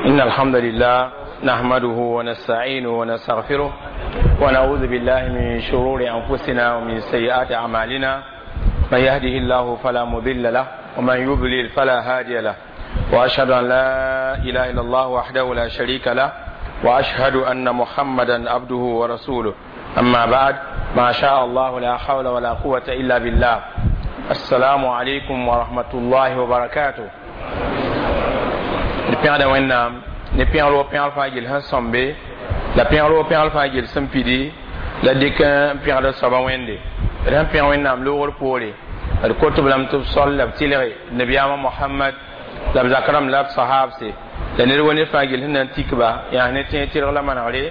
إن الحمد لله نحمده ونستعينه ونستغفره ونعوذ بالله من شرور أنفسنا ومن سيئات أعمالنا. من يهده الله فلا مضل له ومن يضلل فلا هادي له، وأشهد أن لا إله إلا الله وحده لا شريك له، وأشهد أن محمدا عبده ورسوله. أما بعد، ما شاء الله لا حول ولا قوة إلا بالله. السلام عليكم ورحمة الله وبركاته. D pẽgda Wẽnnaam ne pẽgr pẽgr fãa gil sẽn sõmbe la pẽgr pẽgr fãa gil sẽn pidi la dɩk n pẽgd soaba Wẽnde. D sẽn pẽg Wẽnnaam loogr poore, d kot b lame tɩ b sol la b tɩlge nabiyaamã Mohamad la b zak rãmb la b sahabse la ned wa ned fãa gil sẽn na n tik ba yaa ne tẽeg tɩlg la manegre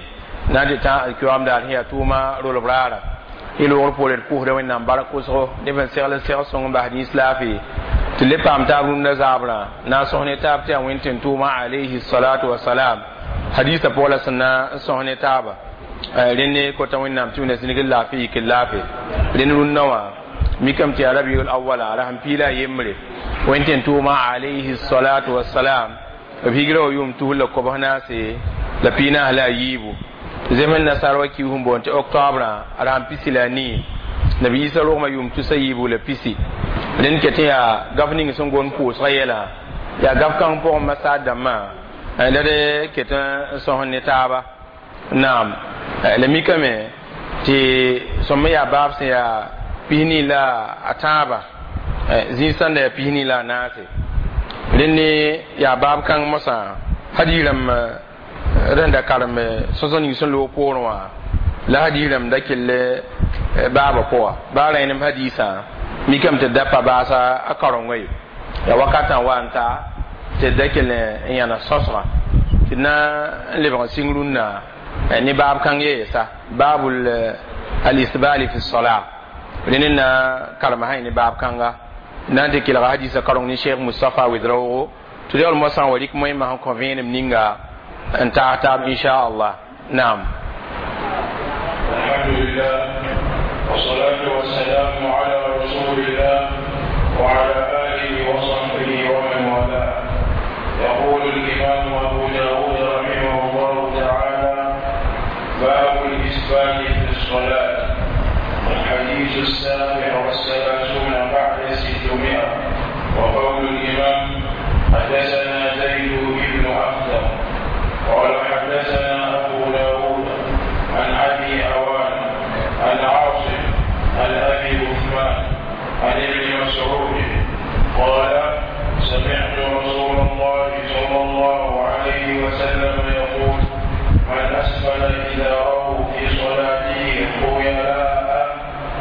na n tɩ tã alkiwaam daar sẽn yaa tʋʋma rolb raara. Y loogr poore d pʋʋsda Wẽnnaam bark kʋsgo neb n segl n seg sõng n bas nins laafɩ tɩ le paam taab rũndã zaabrã na n sõs ne taab tɩ yaa Wẽn tẽn tʋʋma alayhi salatu wasalam hadiisã pʋgã la sẽn na n sõs ne taaba. Rẽnd kota Wẽnnaam tɩ wẽnna zĩnig n laafɩ yik n laafɩ. Rẽnd rũndã wã mikame tɩ yaa rabiul awala ra sẽn piila a yembre Wẽn tẽn tʋʋma alayhi salatu wasalam b higra wa yʋʋm 2014. Zems nasaar wa kiis n boond tɩ octobre a ra sẽn pisi la a nii nabi Isa rogmã yʋʋm 320. Rẽnd ket n yaa gaf ning sẽn gom pʋʋsgã yɛla yaa gaf kãng pʋgẽ masaar dãmbã la d ket n sõs ne taaba. Naam, la mikame tɩ sõm yaa baab sẽn yaa 23 zĩig sãnda yaa 24. Rẽnd yaa baab kãng mosã hadiis rãmb rẽn da karem sõsg ning sẽn loog poorẽ wã la hadiis rãmb da kell baabã pʋga baa rẽnem hadiisã mikame tɩ da pa baasa a karengo ye yaa wakatã wa n ta tɩ da kell n yãna sõsgã tɩ na n lebg n sɩng rũnnã ne baab kãng yeesa baabul alisbali fi sola. Rẽnd na karema sã ne baab kãnga na n tɩ kelga hadiisã kareng ne Cheikh Mustapha Wedraoogo tɩ yaool moasã wa rɩk moẽmã sẽn kõ vẽenem ninga n taag taab inchallah. Naam. الحمد لله والصلاة والسلام على رسول الله وعلى آله وصحبه ومن والاه. يقول الإمام أبو داود رحمه الله تعالى: باب الإسبال في الصلاة. الحديث 637. وقول الإمام: حدثنا زيد بن أخدم قال حدثنا أبو داود عن أبي عوان عن عاصم عن أبي عثمان عن ابن مسعود قال: سمعت رسول الله صلى الله عليه وسلم يقول: من أسفل إزاره في صلاته خيلاء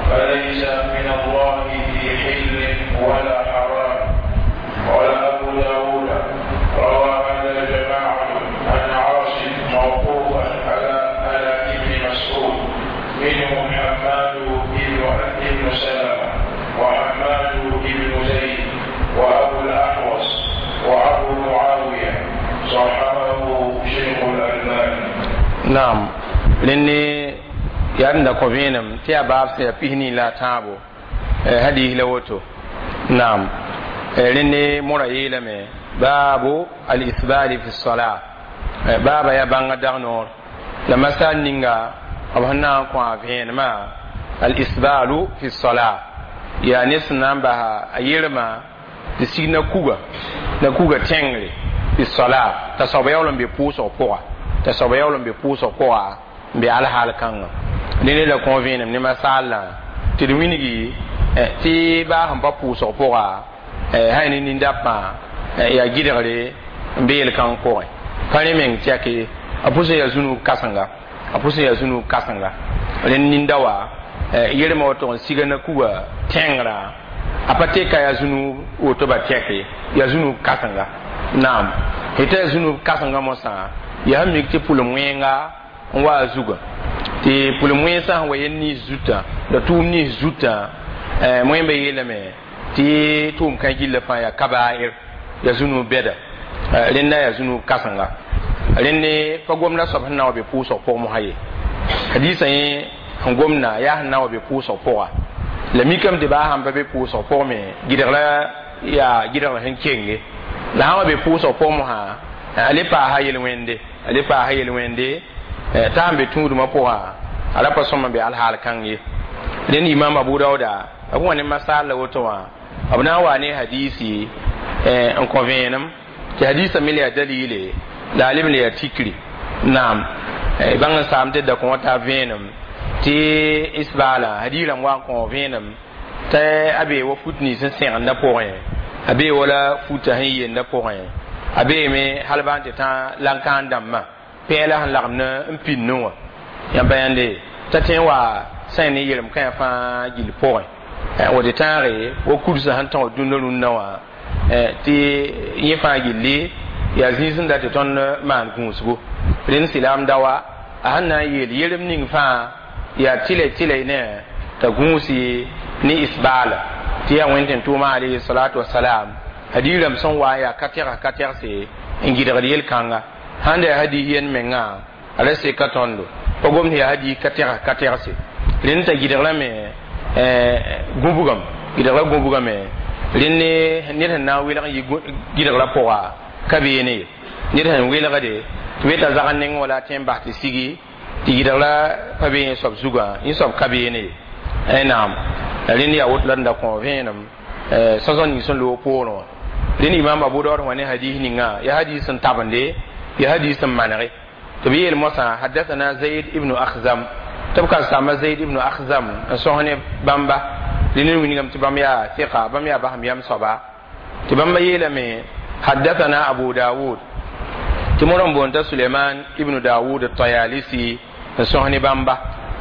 فليس من الله في حل ولا حرام. قال أبو داود: روى هذا جماعة عن عاصم موقوفا على ابن مسعود، منهم حماد بن سلمة وحماد بن زيد وأبو الأحوص وأبو معاوية. صححه شيخ الألباني. Naam, rẽnd yaa d da kõ vẽenem tɩ yaa baab sẽn yaa 23 hadiis la woto. Naam, rẽnd mora yeelame baabu al-isbali fi sola baaba yaa bãnga dag noor la masal ninga b sẽn na n kõ a vẽenemã al-isbalu fi sola yaa ne sẽn na n basa a yerma tɩ sig na kuga na kuga tẽngre fi sola t'a soaba yaool n be pʋʋsg pʋga t'a soaba yaool n be pʋʋsg pʋga n be alhaal kãngã. Rẽnd la kõ vẽenem ne masaalã tɩ d wilgi tɩ baa sẽn pa pʋʋsg pʋga sã ne nin-dapmã yaa gɩdgre n be yel-kãng pʋgẽ pa rẽ meng tɛke a pʋsẽ yaa zũnug kãsenga a pʋsẽ yaa zũnug kãsenga. Rẽnd ninda wa yermã woto n siga na kuga tẽngrã a pa teka yaa zũnug woto ba tɛke yaa zũnug kãsenga. Naam, tɩ yaa zũnug kãsenga mosã yaa sẽn mik tɩ pʋlem wẽnga n wa a zugã tɩ pʋlem wẽnsã sẽn wa yel nins zutã la tʋʋm nins zutã wẽmba yeelame tɩ tʋʋm kã gilla fãa yaa kabair yaa zũnug bɛda. Rẽnda yaa zũnug kãsenga. Rẽnd pa gomda soab sẽn na wa be pʋʋsg pʋg mosã ye hadiisã yẽ sẽn gomda yaa sẽn na wa be pʋʋsg pʋga la mikame tɩ baa sãn pa be pʋʋsg pʋg me gɩdgra yaa gɩdgr sẽn kenge la sã wa be pʋʋsg pʋg mosã. A le paasa yel-wẽnde, a le paasa yel-wẽnde t'a sẽn be tũudmã pʋgã, a ra pa sõm n be alhaal kãng ye. Rẽnd Imam Abu Dauda b wa ne masaal la woto wã, b na n wa ne hadiisi n kõ vẽenem tɩ hadiisã me le yaa dalile la a leb n le yaa tikri. Naam, bãng n saam tɩ dakõ wã taa vẽenem tɩ isbaala hadiis rãmb wa n kõ vẽenem tɩ a bee wa fut nins n sẽgendã pʋgẽ, a bee wala futa sẽn yenda pʋgẽ, a beeme hal bã n tɩ tã lan-kãan dãmbã pɛɛla sẽn lagem n pĩnnẽ wã. Yãmb pa yãnde t'a tõe n wa sã ne yelem kãyã fãa gill pʋgẽ wa tɩ tãage wa kursã sẽn tõg dũnna rũnnã wã tɩ yẽ fãa gilli yaa zĩig sẽn dat tɩ tõnd maan gũusgo. Rẽnd silaam daoa a sẽn na n yeel yerem ning fãa yaa tɩlɛ tɩlɛ ne t'a gũusi ne isbaala tɩ yaa Wẽn-tẽn-tʋʋma alayhi salatu wasalam hadiis rãmb sẽn wa n yaa ka tɛgse n gɩdgd yel-kãnga. Sãn da yaa hadiis yen mengã a ra seka tõndo pa gomd yaa hadiis ka tɛgse. Rẽnd t'a gɩdgrame gũbgame, gɩdgra gũbgame. Rẽnd ned sẽn na n welg n yɩ gɩdgrã pʋga ka beene ye, ned sẽn welgde tɩ be t'a zag n neng wala a tõe n bas tɩ sigi tɩ gɩdgra pa be yẽ soab zugã, yẽ soab ka beene ye. Naam, rẽnd yaa woto la d da kõ vẽenem sõsg ning sẽn loog poorẽ wã. Rẽnd Imam Abu Daood wã ne hadiis ninga yaa hadiis sẽn tabende, yaa hadiis sẽn manege tɩ b yeel moasã hadathana Zaid ibnu Akhzam, tɩ b kasaamba Zaid ibnu Akhzam n sõs ne bãmba. Rẽnd n wilgame tɩ bãmb yaa thɩka, bãmb yaa basem yam soaba, tɩ bãmba yeelame hadathana Abu Dawud, tɩ modg n boond t'a Suleiman ibnu Dawud Tayalisi n sõs ne bãmba.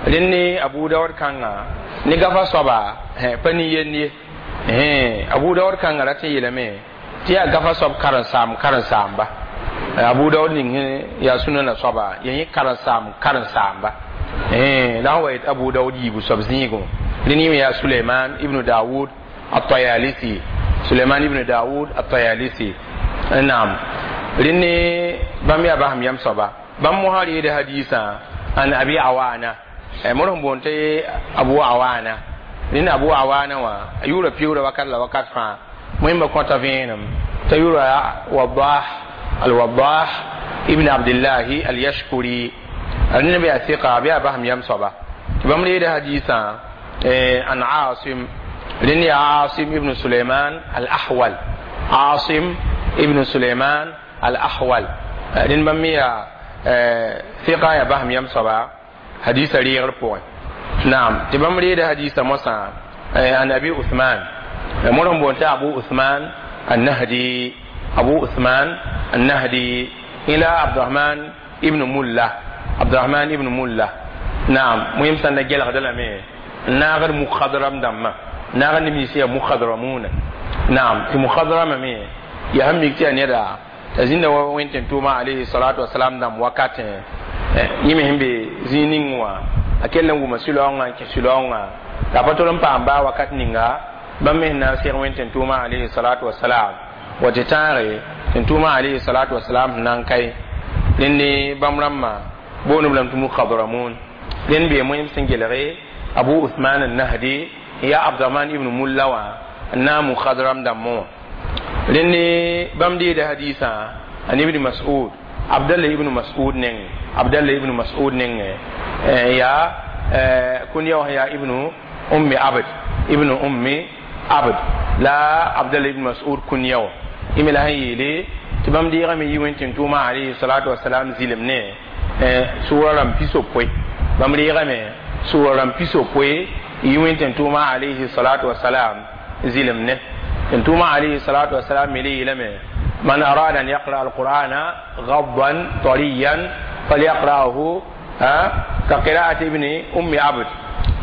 Rẽnd ne Abu Daood kãnga ne gafa soaba pa nin-yend ye. Abu Daood kãnga rat n yeelame tɩ yaa gafa soab karen-saam karen-saamba. Abu Daood ning yaa sũnana soaba yaa yẽ karen-saam karen-saamba la sẽn wa yet Abu Daood yiibu soab zĩigẽ. Rẽnd yẽ me yaa Suleiman ibnu Dawud Atayalisi, Suleiman ibnu Dawud Atayalisi. Naam, rẽnd ne bãmb yaa basem yam soaba, bãmb mosã reeda hadiisã an Abi Awana, modg n boond tɩ Abu Awana. Rẽnd Abu Awana wã a yʋʋra piuura wakat la wakat fãa. Wẽmba kõta vẽenem t'a yʋʋra Wadah, Alwadah ibn Abdillahi Alyashkuri. Rẽnd be yaa sɩka, bɩ yaa basem yam soaba, tɩ bãmb reeda hadiisã an Asim. Rẽnd yaa Asim ibn Suleiman Al Ahwal, Asim ibn Suleiman Al Ahwal. Rẽnd bãmb me yaa sɩka, yaa basem yam soaba hadiisã reegr pʋgẽ. Naam, tɩ bãmb reeda hadiisã mosã an Abi Uthman, modg n boond tɩ Abu Uthman Annahdi, Abu Uthman Annahdi ila Abdurahman ibn Mulla, Abdurahman ibn Mulla. Naam, wẽm sãn da gelgda lame n naagd mukhadram dãmbã, naagd neb nins yaa mukhadramuna. Naam, tɩ mukhadrama me yaa sẽn mik tɩ yaa neda t'a zĩnda wa Wẽn-tẽn-tʋʋma alayhi salatu wasalam dãmb wakatẽ. Yẽ me sẽn be zĩig ning wã a kell n wʋma sũ-laoongã n kẽ sũ-laoongã la a pa tol n paam baa wakat ninga bãmb me sẽn na n seg Wẽn-tẽn-tʋʋma alayhi salatu wasalam wa tɩ tãage tẽn-tʋʋma alayhi salatu wasalam sẽn na n kae. Rẽnd ne bãmb rãmbã boond b lame tɩ mukhadramun. Rẽnd bee wẽm sẽn gelge Abu Uthman An-Nahdi yaa Abdurahman ibn Mulla wã n na n mukhadram dãmbẽ wã. Rẽnd ne bãmb deeda hadiisã an Ibn Mas'ud, Abdallah ibn Mas'ud neng, Abdallah ibn Mas'ud nengẽ yaa kũn-ya wã yaa Ibnu Ummi Abd, Ibnu Ummi Abd la Abdallah ibn Mas'ud kũn-ya wã. Yẽ me la sẽn yeele tɩ bãmb deegame yi Wẽn-tẽn-tʋʋma alayhi salatu wasalam zɩlem ne sʋʋra rãmb pisopoe. Bãmb reegame sʋʋra rãmb pisopoe yi Wẽn-tẽn-tʋʋma alayhi salatu wasalam zɩlem ne. Tẽn-tʋʋma alayhi salatu wasalam me le yeelame man arada an yaqra alqur'ana gaddan tariyan falyaqra'ahu ka qira'ati ibni Ummi Abd,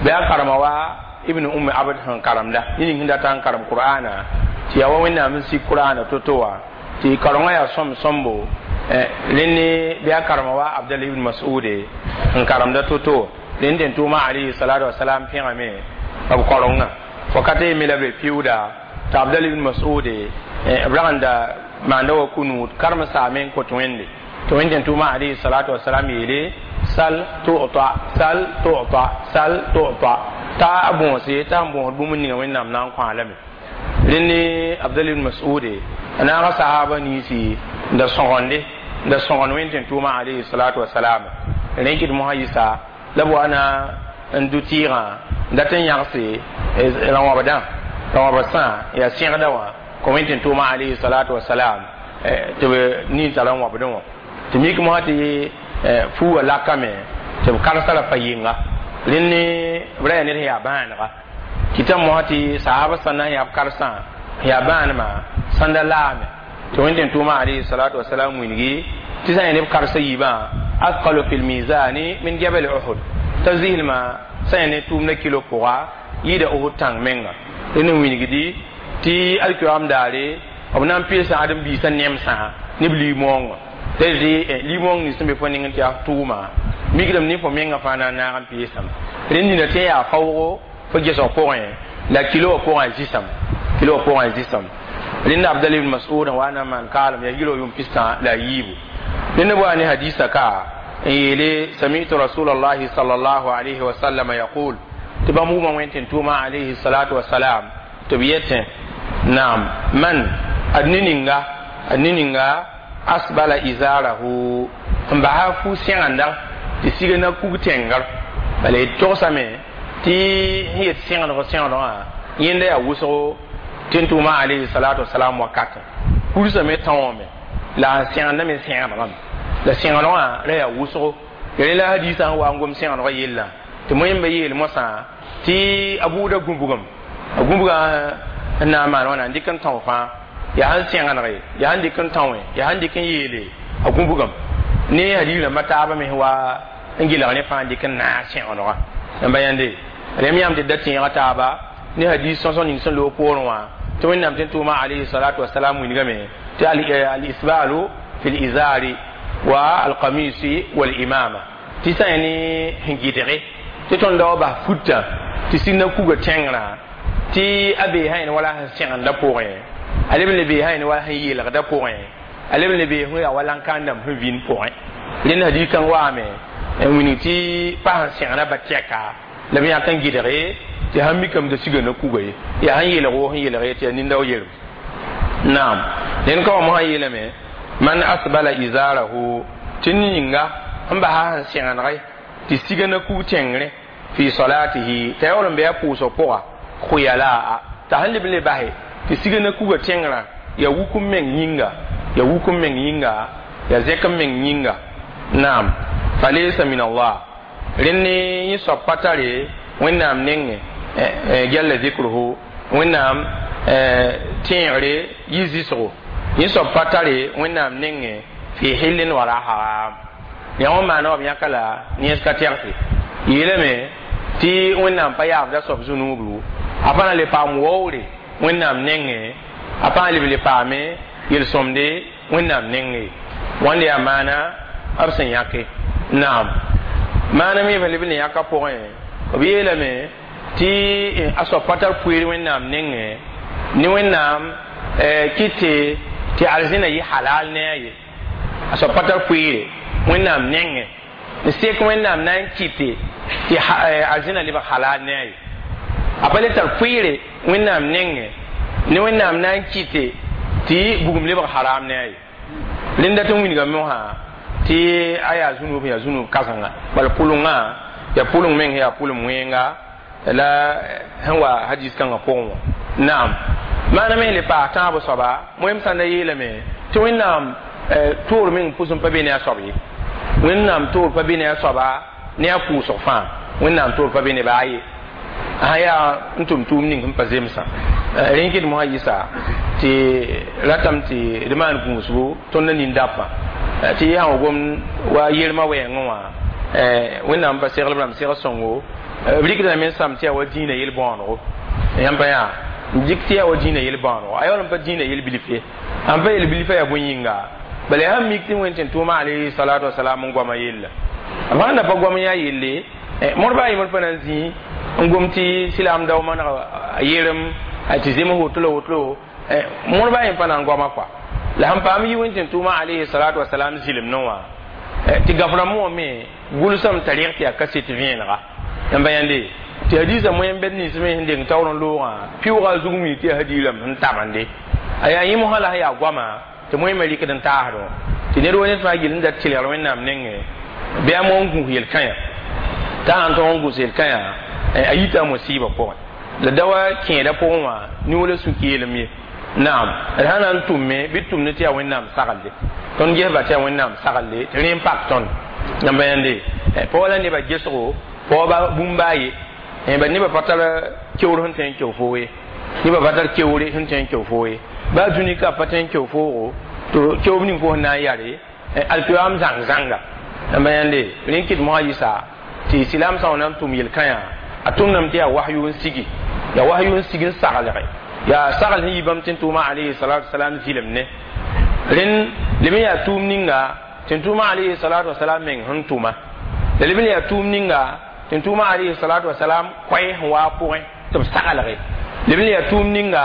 bɩ a karema wa Ibn Ummi Abd sẽn karemda yẽ ning sẽn dat n karem Qur'ana tɩ yaa wa Wẽnnaam n sik Qur'ana to-to wã tɩ karengã yaa sõm sõmbo. Rẽnd bɩ a karema wa Abdallah ibn Mas'ude n karemda to-to. Rẽnd tẽn-tʋʋma alayhi salatu wasalam pẽgame b karengã wakat ye me la be piuuda tɩ Abdallah ibn Mas'ude b rag n da maanda wa kunuud karem saame n kõt Wẽnde tɩ Wẽn-tẽn-tʋʋma alayhi salatu wasalam yeele sal tu'ta, sal tu'ta, sal tu'ta, t'a a bõose t'a sẽn bõosd bũmb ninga Wẽnnaam na n kõ-a lame. Rẽnd ne Abdallah ibn Mas'ude a naaga sahaba ninsi n da sõgende Da sõgen wẽn tʋʋma alayhi salatu wasalam rẽkɩd mosã yɩsa la b wa na n dʋ tɩɩgã n dat n yãgse rã-wãbdã rã-wãbd sã yaa sẽgda wã kõ wẽn tʋʋma alayhi salatu wasalam tɩ b nin tara n wãbdẽ wã tɩ mik mosã tɩ fuugã lakame tɩ b karsa ra pa yɩnga rẽnd b ra yaa ned sẽn yaa bãanega kɩta mosã tɩ saaba sã na n yaa b karsã yaa bãanema sãnda laame tɩ wẽn tʋʋma alayhi salatu wasalam wilgi tɩ sã n yaa neb karsa yiibã athqalu fi lmizani min jabal uhud t'a zɩslmã sã n yaa ne tʋʋmdã kilo pʋga yɩɩda Uhud tãng menga rẽnd n wilgdi tɩ alkiyoam daare b na n pɩlsa ãdem-biisã nemsã ne b liig-moongã t'a tɩ liig-moong nins sẽn be fo nengẽ tɩ yaa tʋʋma mikdame ne fo menga fãa na n naag n peesame rẽnd nina tɩ yaa faoogo fo gesg pʋgẽ la kilo wã pʋgã zɩsam kilo wã pʋgã zɩsam rẽnd Abdal ibn Mas'ud n wa na n maan kaalem yaa yilo yʋm pistã la a yiibu rẽnd b wa ne hadisa ka n yeele sami'tu rasulallahi sallallahu alayhi wa sallam yaqul tɩ bãmb wʋma wẽn tɩ tʋʋma alayhi salatu wasalam tɩ b yetẽ naam man ad ne ninga ad ne ninga asbala izarahu n basa fu sẽgenda tɩ siga na kug tẽngr bala d togsame tɩ sẽn yet sẽgdg sẽgdgã yẽnda yaa wʋsgo tɩ n tʋʋma alayhi salatu wasalam wakatẽ kursame tãoome la n sẽgendame sẽgdgame la sẽgdgã ra yaa wʋsgo rẽ la hadisã sẽn wa n gom sẽgdgã yellã tɩ moẽmba yeel mosã tɩ a buuda gũbgem a gũbgã n na n maan wãna n dɩk n tão fãa yaa sẽn sẽgenege yaa sẽn dɩk n tão yaa sẽn dɩk n yeele a gũbgem ne hadis rãmbã taabã me wa n gɩlg ne fãa n dɩk n naag sẽgenegã n ba yãnde rẽm yãmb tɩ da tẽega taaba ne hadis sõsõ ning sẽn loog poorẽ wã tɩ wẽnnaam tɩ n tʋʋma alayhi salatu wasalam wilgame tɩ al-isbalu fi l-izari wa alqamisi wal-imama tɩ sã yaa ne sẽn gɩdge tɩ tõnd da wa bas futã tɩ sig na kuga tẽngrã tɩ a bee sã wala sẽn sẽgendã pʋgẽ a leb n le bee sã wala sẽn yeelgdã pʋgẽ a leb n le bee sẽn yaa wa lãn-kãandame sẽn vĩnd pʋgẽ rẽnd hadis kãng waame n wilg tɩ pa sẽn sẽgna ba tɛka la b yãk n gɩdge tɩ sãn mikame tɩ siga na kuga ye yaa sẽn yeelg woo sẽn yeelg tɩ yaa nindaoog yelem naam rẽnd ka wa mosã yeelame man asbala izarahu tɩ ninga n basa sẽn sẽgenege tɩ siga na kug tẽngre fi salatihi t'a yaool n be a pʋʋsg pʋga khuyalaa t'a sẽn leb n le base tɩ siga na kuga tẽngrã yaa wuk n meng yĩnga yaa wuk n meng yĩnga yaa zẽk n meng yĩnga naam falaysa min Allah rẽnd ne yẽ soab pa tare Wẽnnaam nengẽ jalla zikruhu Wẽnnaam tẽegre yɩ zɩsgo yẽ soab pa tare Wẽnnaam nengẽ fi hillin wala haram yã wã maana wa b yãka la nens ka tɛgse yeelame tɩ Wẽnnaam pa yaabda soab zu-nuubru a pa na le paam waoore Wẽnnaam nengẽ a pa leb le paame yel-sõmde Wẽnnaam nengẽ wãnde yaa maana b sẽn yãke naam maana me leb n yãka pʋgẽ b yeelame tɩ a soab pa tar poeer Wẽnnaam nengẽ ne Wẽnnaam kɩte tɩ arzẽna yɩ halal ne a ye a soab pa tar poeere Wẽnnaam nengẽ n sek Wẽnnaam na n kɩte tɩ arzẽna lebg halal ne a ye a pa le tar poeere Wẽnnaam nengẽ ne Wẽnnaam na n kɩte tɩ bugum lebg haram ne a ye rẽnda tɩ n wilga mosã tɩ a yaa zũnub yaa zũnub kãsenga bala pʋlengã yaa pʋleng meng yaa pʋlem wẽnga la sẽn wa hadis kãngã pʋgẽ wã naam maana me le paas tãabo soaba moẽm sãn da yeelame tɩ Wẽnnaam toor meng pʋsẽ pa be ne a soab ye Wẽnnaam toor pa be ne a soaba ne a pʋʋsg fãa Wẽnnaam toor pa be ne baa ye sã yaa n tʋm tʋʋm ning sẽn pa zemsã rẽn kɩd mosã yɩsa tɩ ratame tɩ d maan gũusgo tõnd na nin-dabmã tɩ sã wa gom wa yelmã wɛɛngẽ wã Wẽnnaam pa segl b rãmb segl sõngo b rɩkdame n sãm tɩ yaa wa dĩinã yel-bõonego yãmb pa yaa n dɩk tɩ yaa wa dĩinã yel-bõonego a yaool n pa dĩinã yel-bilf ye sãn pa yel-bilfã yaa bõe-yĩnga bala yaa sãn mik tɩ wẽn tɩ n tʋʋma alayhi salatu wasalam n goama yella b sãn da pa goam n yaa yelle mõr baa yembr pa na n zĩ n gom tɩ silaam dao maneg a yerem tɩ zems woto la woto mõr baa yem pa na n goama kɔa la sẽn paam yi wẽn tɩ n tʋʋma alayhi salatu wasalam zɩlem ne wã tɩ gaf-rãmb wã me gʋlsame t'a reg tɩ yaa kaset vẽenega yãmba yãnde tɩ hadisã moẽm bɛd nins me sẽn deng taoor n loogã pɩʋʋga zug mi tɩ yaa hadiirame sẽn tabende a yaa yẽ mosã la sẽn yaa goama tɩ moẽmã rɩkd n taasdẽ Tɩ ned wa ned fãa gill n dat tɩlgr Wẽnnaam nengẽ bɩ a mo n gũus yel-kãyã t'a sãn tog n gũs yel-kãyã a yita a mosiibã pʋgẽ la da wa kẽeda pʋgẽ wã nioola sũ-keelem ye. Naam, d sã na n tʋmme bɩ d tʋmd tɩ yaa Wẽnnaam saglde, tõnd gesba tɩ yaa Wẽnnaam saglde, tɩ rẽ n pak tõnd yãmba yãnde paoog la nebã gesgo paoogba bũmb a ye ba nebã pa tar keoor sẽn tõe n keo foo ye, nebã pa tar keoore sẽn tõe n keo foo ye, baa dũni ka pa tõe n keo foogo tɩ keoob ning fo sẽn na n yare alkiyoam zãng zãnga. Yãmba yãnde rẽ n kɩt mosã yɩsa tɩ silaam sã wa na n tʋm yel-kãyã a tʋmdame tɩ yaa wahyu n sigi, yaa wahyu n sig n saglge, yaa sagl sẽn yi bãmb tɩ n tʋʋma alayhi salatu wasalam zɩlem ne rẽnd leb n yaa tʋʋm ninga tɩ n tʋʋma alayhi salatu wasalam meng sẽn tʋma la leb n yaa tʋʋm ninga tɩ n tʋʋma alayhi salatu wasalam koɛɛ sẽn waa pʋgẽ tɩ b saglge, leb n yaa tʋʋm ninga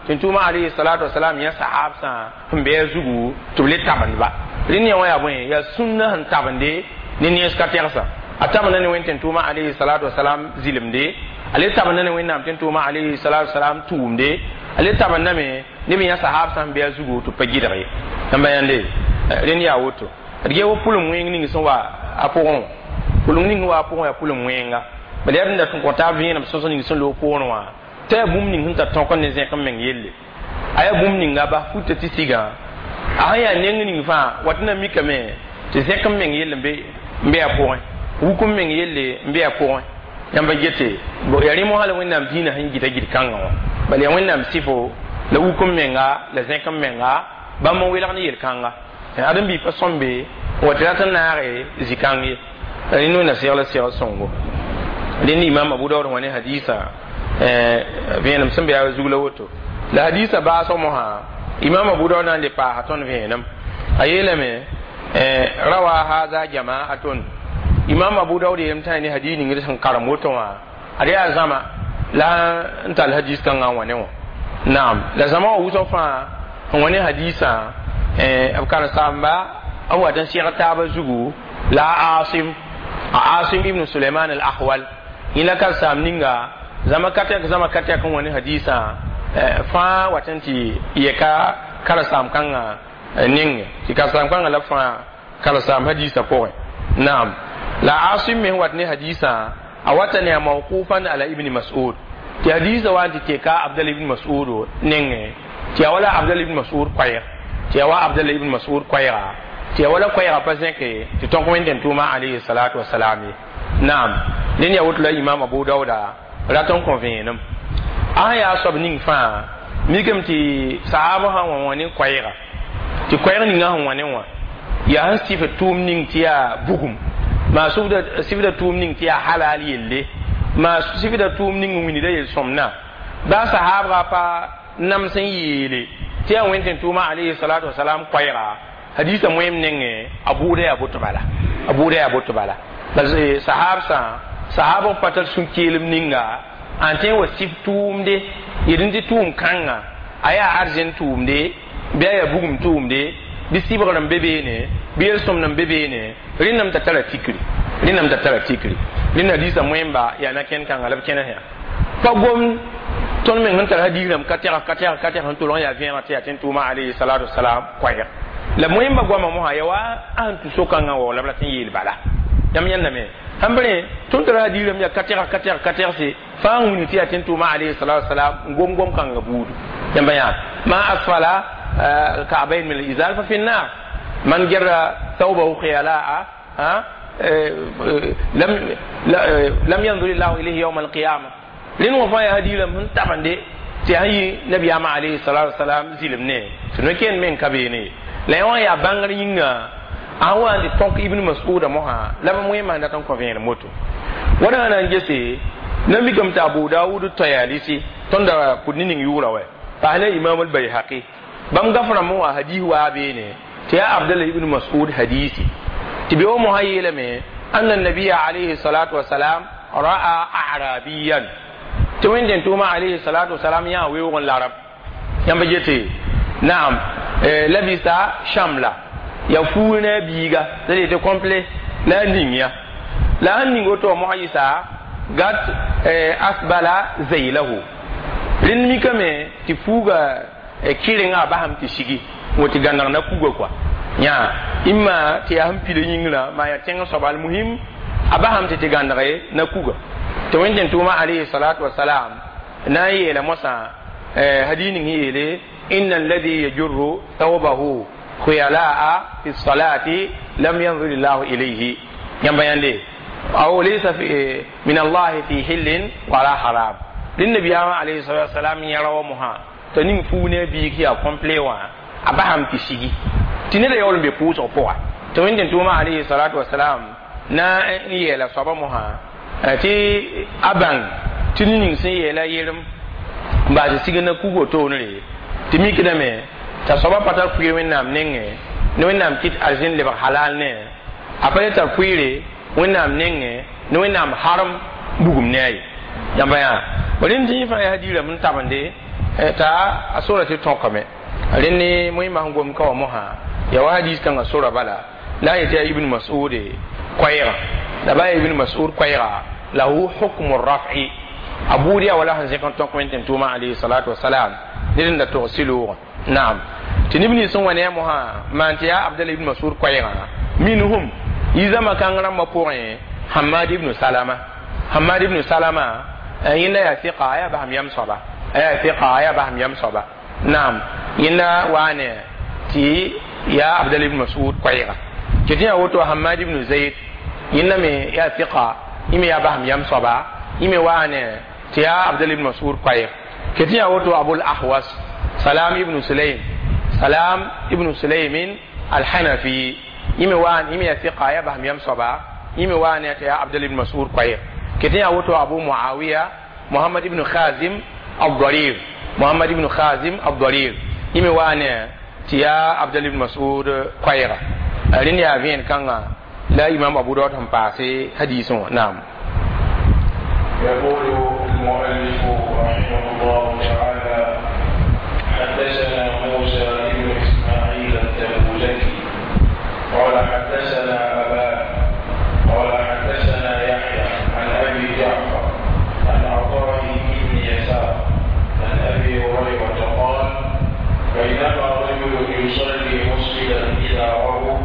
tɩ n tʋʋma alayhi salatu wasalam yã sahabsã sẽn be a zugu tɩ b le tabendba. Rẽnd yã wã yaa bõe? Yaa sũnna sẽn tabende ne nens ka tɛgsa a tabenda ne Wẽnd tɩ n tʋʋma alayhi salatu wasalam zɩlemde, a le tabenda ne Wẽnnaam tɩ n tʋʋma alayhi salatu wasalam tʋʋmde, a le tabendame neb yã sahab sã n be a zugu tɩ pa gɩdg ye. Yãmba yãnde rẽnd yaa woto d gee wa pʋlem wẽng ning sẽn wa a pʋgẽ wã, pʋlem ning sẽn wa a pʋgẽ yaa pʋlem wẽnga bala yaa rẽnda tɩ n kõ taab vẽenem sõsg ning sẽn loog poorẽ wã t'a yaa bũmb ning sẽn tar tõk n ne zẽk n meng yelle, a yaa bũmb ninga bas futa tɩ sigã a sẽn yaa neng ning fãa wat na mikame tɩ zẽk n meng yelle n be a pʋgẽ, wuk n meng yelle n be a pʋgẽ. Yãmba gete yaa rẽ mosã la Wẽnnaam dĩinã sẽn gɩta gɩd-kãngã wã bala yaa Wẽnnaam sɩfo la wuk n menga la zẽk n menga bãmb n welg ne yel-kãnga ãdem-biig pa sõmbe n wa tɩ rat n naage zĩ-kãng ye. Rẽnd Wẽnna segl segl sõngo. Rẽnd Imam Abu Daood wã ne hadisa vẽenem sẽn be a zug la woto la hadisa baasg mosã Imam Abu Daood na n le paasa tõnd vẽenem a yeelame rawa haza jama'atun. Imam Abu Daood yeelame tã ne hadis ning sẽn karem woto wã ad yaa zãma la n tall hadis kãngã n wa ne wã. Naam, la zãma wã wʋsg fãa n wa ne hadisã b karen-saamba n wat n seg taabã zugu la Asim, a Asim ibn Suleiman al-Ahwal yẽ la karen-saam ninga zãma ka tɛk zãma ka tɛk n wa ne hadisã fãa wat n tɩ yɛka karen-saam kãngã nenge tɩ karen-saam kãngã la fãa karen-saam hadisã pʋgẽ. Naam, la Asim me wat ne hadisã a wata ne a mawqufan ala Ibn Mas'ud tɩ hadisã wa n tɩ teka Abdal ibn Mas'ud nengẽ tɩ ya wala Abdal ibn Mas'ud koɛɛg, tɩ ya wa Abdal ibn Mas'ud koɛɛga, tɩ ya wala koɛɛga pa zẽke tɩ tõk Wẽnd tʋʋma alayhi salatu wasalam ye. Naam, ned yaa woto la Imam Abu Dauda rat n kõ vẽenem a sẽn yaa soab ning fãa mikame tɩ sahaabã sã n wa wã ne koɛɛga tɩ koɛɛg ninga sẽn wã ne wã yaa sẽn sɩf tʋʋm ning tɩ yaa bugum maa sɩfda tʋʋm ning tɩ yaa halal yelle maa sɩfda tʋʋm ning n wilgda yel-sõmdã baa sahaabga pa nams n yeele tɩ yaa Wẽnd tɩ tʋʋma alayhi salatu wasalam koɛɛga hadisa moem nengẽ a bʋʋda yaa boto bala, a bʋʋda yaa boto bala. Bala sahab sã sahab n pa tar sũ-keelem ninga n tõe n wa sɩf tʋʋmde yel n tɩ tʋʋm kãnga a yaa arzẽn tʋʋmde bɩ a yaa bugum tʋʋmde bɩ sɩbgr n be beene bɩ yel-sõmd n be beene rẽnname t'a tara tikri, rẽnname t'a tara tikri. Rẽnd hadisa moẽmba yaa na-kẽnd kãnga la b kẽnes yaa pa gom tõnd meng sẽn tar hadiis rãmb ka tɛgs ka tɛgs ka tɛgs n tolg n yaa vẽeneg tɩ yaa tɩ n tʋʋma alayhi salatu wasalam koɛɛg la moẽmba goamã mosã yaa wa a sẽn tũ so-kãngã wa la b rat n yeel bala. Yãmb yãndame sãn b rẽ tõnd tara hadiis rãmb yaa ka tɛgs ka tɛgs ka tɛgse fãa n wilg tɩ yaa tɩ n tʋʋma alayhi salatu wasalam n gom gom kãngã buudu. Yãmba yã ma asfala الكعبين من الإزار ففي النار، من جر ثوبه خيلاء لم ينظر الله إليه يوم القيامة. لأن وفايا هدي لم هن طبعا دي تهي نبي عليه الصلاة والسلام زلمني سنكين من كبيني لا يوم يا بانغرينغا awa ndi tonk Ibn Mas'ud moha la ba moy man da ton ko vẽene moto wada na ngese na mi kam ta Abu Dawud Tayalisi tonda pud ning yura wa pa ne Imam al-Bayhaqi bam gafara mo wa hadith wa bene ta ya Abdullah ibn Mas'ud hadisi ti bi o mo hayela me anna nabiyya alayhi salatu wassalam ra'a a'rabiyan ti wẽnd tʋʋma alayhi salatu wassalam ya weoog n larab yãmb gete naam labisa shamla ya fuul ne a biiga la tɩ complet la a ning ya la sẽn ning woto mosã yɩsa gat asbala zaylahu rẽnd mikame tɩ fuuga kɩrenga a basam tɩ sigi n tɩ gãneg na kuga kɔa Yã imma tɩ yaa sẽn pila yĩngrã maa yaa tẽng soaba almuhim a basame tɩ tɩ gãnege na kuga tɩ wẽnd tʋʋma alayhi salatu wasalam na n yeela mosã hadis ning sẽn yeele inna alladhi yajurru thawbahu khuyala'a fi salati lam yanzur llahu ilayhi yãmba yãnde aw laysa min allahi fi hillin wala haram rẽnd nabiyaamã alayhi salatu wasalam yẽra wa mosã t'a ning fuug ne a biig yaa complet wã a basame tɩ sigi tɩ neda yaool n be pʋʋsg pʋga tɩ wẽnd tʋʋma alayhi salatu wasalam na n yeela soaba mosã tɩ a bãng tɩ ning sẽn yeela yelem n baas tɩ sig na kugo toonre tɩ mikdame t'a soaba pa tar pʋɩɩr wẽnnaam nengẽ ne wẽnnaam kɩt arzẽn lebg halal ne a pa le tar pʋɩɩre wẽnnaam nengẽ ne wẽnnaam harem bugum ne a ye yãmba yã rẽnd tɩ yẽ fãa yaa hadiirame n tabende t'a a sora tɩ tõkame rẽnd ne moẽmã sẽn gom ka wã mosã yaa wa hadis kãngã sora bala la a yetɩ yaa ibn mas'ud koɛɛgã la ba yaa ibn mas'ud koɛɛga lahu hukmu raf'i a buud yaa wala sẽn zẽk n tõk wẽn tɩ tʋʋmã alayhi salatu wasalam ned n da tog sɩloogã naam tɩ neb nins sẽn wa ne a mosã maan tɩ yaa abdala ibn mas'ud koɛɛgã minhum yizãmã kãng rãmbã pʋgẽ hamad ibn salama hamad ibn salama yẽnda yaa fiqa a yaa basem yam soaba a yaa fiqa a yaa basem yam soaba naam yẽnda waa ne tɩ yaa abdala ibn mas'ud koɛɛga tɩ tɩ yaa woto hamad ibn zayd yẽnda me yaa fiqa yẽ me yaa basem yam soaba yẽ me waa ne tɩ yaa abdala ibn mas'ud koɛɛg tɩ yaa woto abul ahwas salam ibn sulaym salam ibn sulaymin alhanafi yẽ me waa yẽ me yaa fiqa yaa basem yam soaba yẽ me waa ne tɩ yaa abdala ibn mas'ud koɛɛg tɩ yaa woto abu muawiya muhammad ibn khazim الضرير محمد ibn khazim الضرير yẽ me waa ne tɩ yaa abdala ibn mas'ud koɛɛga rẽnd yaa vẽen kãnga la imam abu daud sẽn paase hadisẽ wã naam يقول المؤلف رحمه الله تعالى حدثنا موسى بن إسماعيل التبوذكي قال حدثنا أبان قال حدثنا يحيى عن أبي جعفر عن عطاء بن يسار عن أبي هريرة قال بينما رجل يصلي مسجدا إزاره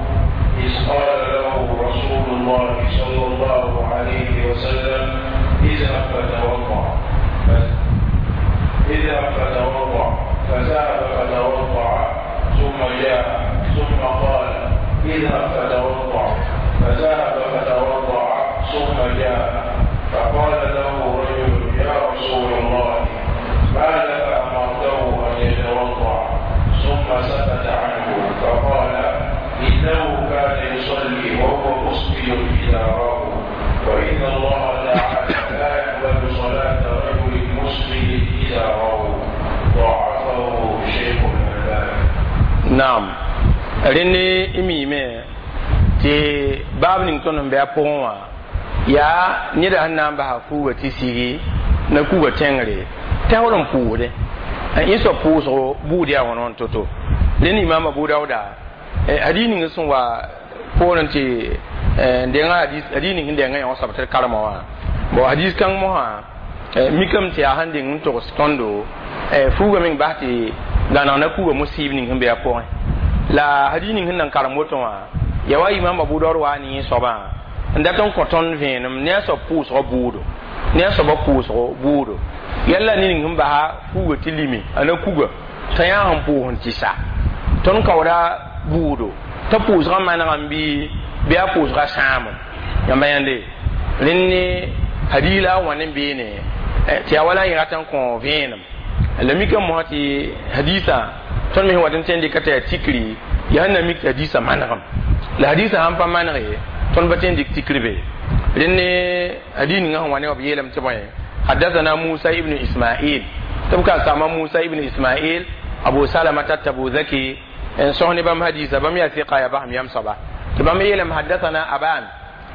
إذ قال له رسول الله صلى الله عليه وسلم اذهب فتوضأ اذهب فتوضأ فذهب فتوضأ ثم جاء ثم قال اذهب فتوضأ فذهب فتوضأ ثم جاء فقال له رجل يا رسول الله ما لك أمرته أن يتوضأ ثم سكت عنه فقال إنه كان يصلي وهو مسبل إزاره وإن الله تعالى لا يقبل صلاة رجل مسبل إزاره ضعفه شيخ الألباني. Naam rẽnd y miime tɩ baab ning tõnd sẽn bɩ a pʋgẽ wã yaa neda sẽn na n basa fuuga tɩ sigi na kuga tẽngre tɛoor n pʋʋsdẽ yẽ soab pʋʋsgo buud yaa wãn wãn to-to rẽnd imam abu dauda hadis ning sẽn wa poorẽ tɩ denga hadis ning sẽn denga yã soab tɩ d karema wã bon hadis kãng mosã mikame tɩ yaa sẽn deng n togs tõndo fuuga meng bas tɩ gãneg na kuga musib ning sẽn be a pʋgẽ la hadis ning sẽn nan karem woto wã yaa wa imam abu daud wa ne yẽ soabã n dat n kõ tõnd vẽenem ne a soab pʋʋsgã buudo ne a soabã pʋʋsgo buudo yalla ne ning sẽn basa fuuga tɩ lime a na kuga t'a yã sẽn pʋʋs n tɩ sa tõnd kaooda buudo t'a pʋʋsgã manegame bɩ a pʋʋsgã sãamem yãmba yãnde rẽnd ne hadis la a wãn n beene tɩ yaa wala n rat n kõ vẽenem la mikame mosã tɩ hadisã tõnd me sẽn wat n tõe n dɩka tɩ yaa tikri yaa sẽn na mik tɩ hadisã manegem la hadisã sãn pa manege tõnd pa tõe n dɩk tikr be rẽnd ne hadis ninga sẽn wa ne wa b yeelame tɩ bõe حدثنا موسى ابن إسماعيل تبقى سما موسى ابن إسماعيل أبو سلمة التبوذكي إن سهني بام حديث بام يا ثقة يا بام يام صبا تبام يلم حدثنا أبان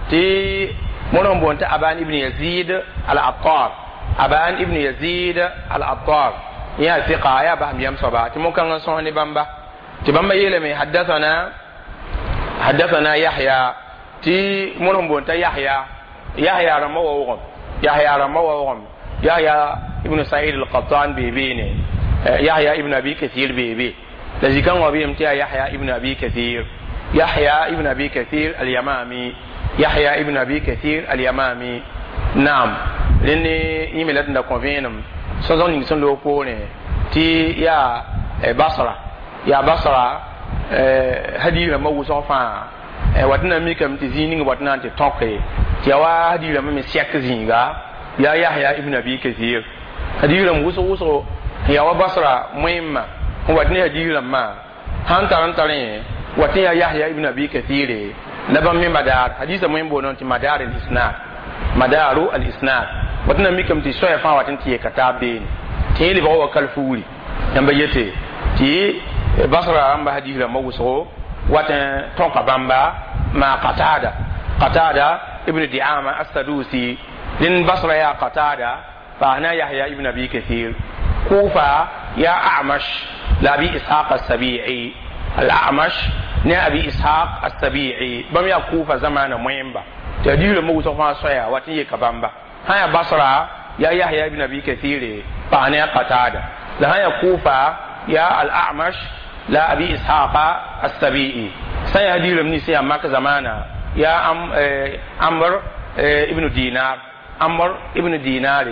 تي منهم بونت أبان ابن يزيد العطار أبان ابن يزيد العطار يا ثقة يا بام يام صبا تي ممكن سهني بام با تبام يلم حدثنا يحيى تي منهم بونت يحيى يحيى رموه يحيى رموه يحيى ابن سعيد القطان بيبيني يحيى ابن أبي كثير بيبي لذي كان وبيهم تيا يحيى ابن أبي كثير Yahya ibn Abi Kathir al-Yamami, Yahya ibn Abi Kathir al-Yamami. Naam, rẽnd yẽ me la d da kõ vẽenem sõsg ning sẽn loog poorẽ tɩ yaa Basra, yaa Basra hadiis rãmbã wʋsg fãa wat na mikame tɩ zĩig ning wat na n tɩ tõke tɩ yaa wa hadiis rãmbã me sɛk zĩiga yaa Yahya ibn Abi Kathir. Hadiis rãmb wʋsg wʋsgo yaa wa Basra moẽmma n wat ne hadiis rãmbã sãn tar n tarẽ wat n yaa Yahya ibn Abi Kathir la bãmb me madar hadiisã moẽm boondẽ tɩ madar al-isnad, madaru al-isnad wat na mikame tɩ soaya fãa wat n tɩ yeka taab beene tɩ yẽ lebg wa kalfuuri yãmba yete tɩ Basra rãmba hadiis rãmbã wʋsgo wat n tõka bãmba ma Qatada, Qatada ibn Diama as-Sadusi. Rẽnd Basra yaa Qatada paasna Yahya ibn Abi Kathir. Kufa yaa A'mash la Abi Ishaq as-Sabi'i, al-A'mash ne Abi Ishaq as-Sabi'i bãmb yaa Kufa zamaana moẽmba tɩ hadiis rãmbã wʋsg fãa soaya wat n yeka bãmba. Sã yaa Basra yaa Yahya ibn Abi Kathir paas ne Qatada, la sã yaa Kufa yaa al-A'mash la Abi Ishaq as-Sabi'i. Sã yaa hadiis rãmb nins yaa Mak zamaana yaa Amr ibn Dinar, Amr ibn Dinar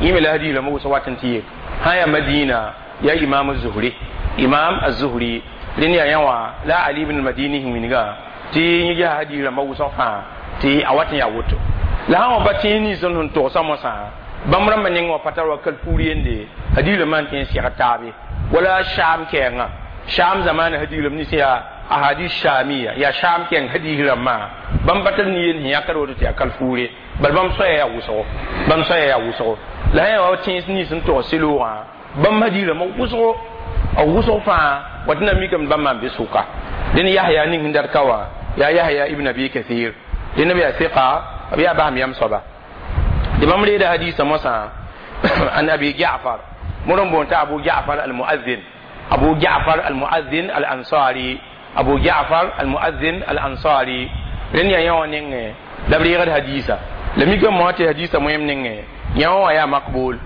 yẽ me la hadiis rãmbã wʋsg wat n tɩ yek. Sã yaa Madina yaa Imam az-Zuhri, Imam az-Zuhri rẽnd yaa yã wã la Ali ibn al-Madini sẽn wilga tɩ yẽ ges hadiis rãmbã wʋsg fãa tɩ a wat n yaa woto. La sã wa pa tẽes nins sẽn togsã mosã bãmb rãmbã neng wã pa tar wa kalfuur yende hadiis rãmbã n tõe n seg taabe wala Sham kɛɛngã, Sham zamaana hadiis rãmb nins yaa ahadis shamiya, yaa Sham kɛɛng hadiis rãmbã bãmb pa tar nin-yend sẽn yãkd woto tɩ yaa kalfuure bal bãmb soaya yaa wʋsgo, bãmb soaya yaa wʋsgo. La sã yaa wa tẽes nins sẽn togs sɩloogã bãmb hadiis rãmbã wʋsgo a wʋsg fãa wat na mikame bãmb maan be sʋka. Dẽn Yahya ning sẽn dat ka wã yaa Yahya ibn Abi Kathir, dẽnd b yaa sɩka b yaa basem yam soaba. Tɩ bãmb reeda hadiisã mosã an Abi Ja'far mor n boond t'a Abu Ja'far al-Mu'adhin, Abu Ja'far al-Mu'adhin al-Ansari, Abu Ja'far al-Mu'adhin al-Ansari. Rẽnd yaa yã wã nengẽ la b reegd hadiisa la mikame mosã tɩ hadiisã moẽm nengẽ yã wã yaa makbul.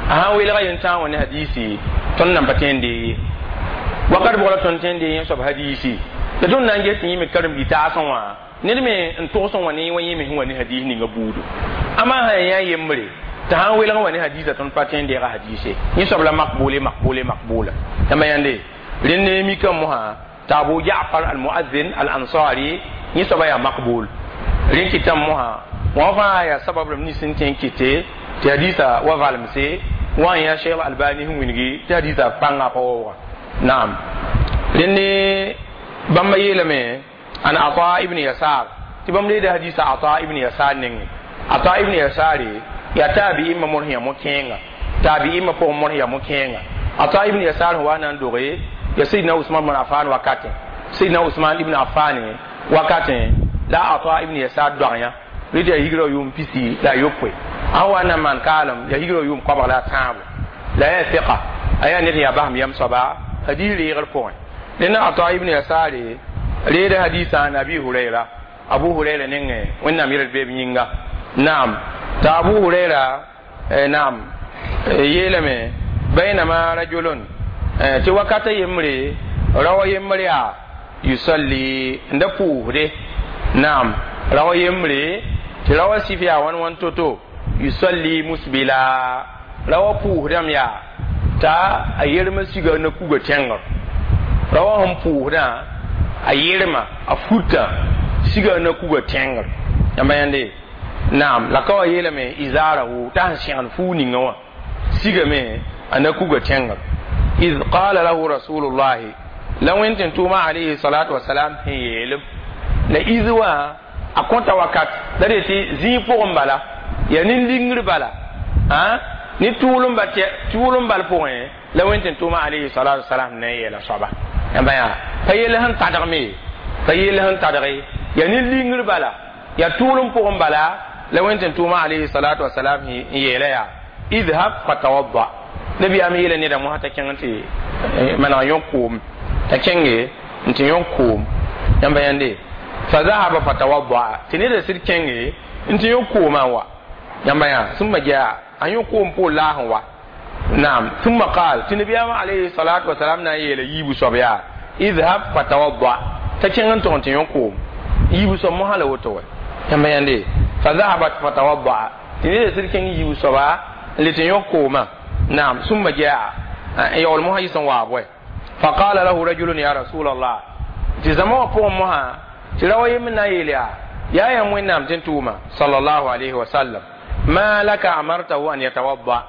A sãn welga yentãag wã ne hadiisi tõnd nan pa tõe n dee ye wakat bʋg la tõnd tõe n dee yẽ soab hadiisi la tõnd na n ges tɩ yẽ me karen-bi taasẽ wã ned me n togs n wa ne wa yẽ me sẽn wa ne hadiis ninga buudu. Ama sã yaa yembre tɩ sãn welg n wa ne hadiisã tõnd pa tõe n deega hadiise yẽ soab la makbule makbule makbula. Yãmba yãnde rẽnd ne mikame mosã tɩ Abu Ja'far al-Mu'adhin al-Ansari yẽ soaba yaa makbul. Rẽnd kɩtame mosã wã fãa yaa sabab rãmb nins sẽn tõe n kɩte tɩ hadiisã wa valemse wã n yaa Cheikh Albani sẽn wilgi tɩ hadiisã pãnga pa waoogã. Naam, rẽnd ne bãmba yeelame an Ata ibn Yasar tɩ bãmb reeda hadiisã Ata ibn Yasar nengẽ. Ata ibn Yasare yaa taabi'imã mor sẽn yaa mo-kẽenga, taabi'imã pʋgẽ mor sẽn yaa mo-kẽenga. Ata ibn Yasar sẽn wa na n doge yaa Sayyidina Usman ibn Affan wakatẽ, Sayyidina Usman ibn Affan wakatẽ la Ata ibn Yasar doag yã rɩ tɩ yaa higrã yʋʋm pisi la a yopoe a sẽn wa na n maan kaalem yaa higrã yʋʋm koabg la a tãabo la yaa sɩka a yaa ned sẽn yaa basem yam soaba hadiis reegr pʋgẽ. Rẽnd Ata ibn Yasare reeda hadiisã an Abi Hurayra, Abu Hurayra nengẽ Wẽnnaam yɛl beeb yĩnga. Naam, tɩ Abu Hurayra naam yeelame baynama rajulun tɩ wakata yembre rawa yembre yaa yusalli n da pʋʋsde. Naam, rawa yembre tɩ rawa sif yaa wãn wãn to-to yusalli musbila rawa pʋʋsdame yaa t'a a yermã siga na kuga tẽngr rawa sẽn pʋʋsdã a yerma a futã siga na kuga tẽngr yãmba yãnde. Naam, la ka wa yeelame izarahu t'a sẽn sẽgd fuu ninga wã sigame a na kuga tẽngr. Id qala lahu rasulullahi la wẽnd tɩ tʋʋma alayhi salatu wasalam sẽn yeelem la iz wã a kõta wakat la de tɩ zĩig pʋgẽ bala yaa nin-lingr bala ne tʋʋlem bal pʋgẽ la wẽnd tɩ tʋʋma alayhi salatu wasalam na n yeela soaba yãmba yaa pa yell sẽn tadgme pa yell sẽn tadge yaa nin-lingr bala yaa tʋʋlem pʋgẽ bala la wẽnd tɩ tʋʋma alayhi salatu wasalam n yeela yaa idhab fatawadda nabiyaam yeela neda mosã t'a kẽng tɩ maneg yõ koom t'a kẽnge n tɩ yõ koom yãmba yãnde fa zahaba fatawadda tɩ neda sɩd kẽnge n tɩ yõ koomã wa yãmba yã sũmma jaa a yõ koom pʋʋl laas n wa. Naam, thumma qaal tɩ nabiyaam alayhi salatu wasalam na n yeela yiibu soab yaa idhab fatawadda T'a kẽng n tog n tɩ yõ koom yiibu soab mosã la woto wɛ yãmba yãnde fa zahabat fatawaddaa tɩ ned sɩd kẽng yiibu soaba n le tɩ yõ koomã naam summa jaa n yaool mosã yɩs n waab wɛ faqala lahu rajulun ya rasulallah tɩ zãma wã pʋgẽ mosã tɩ ra wa yem n na n yeel yaa yaa yãmb wẽnnaam tɩ n tʋʋma sallallahu alayhi wa sallam ma laka amartahu an yatawadda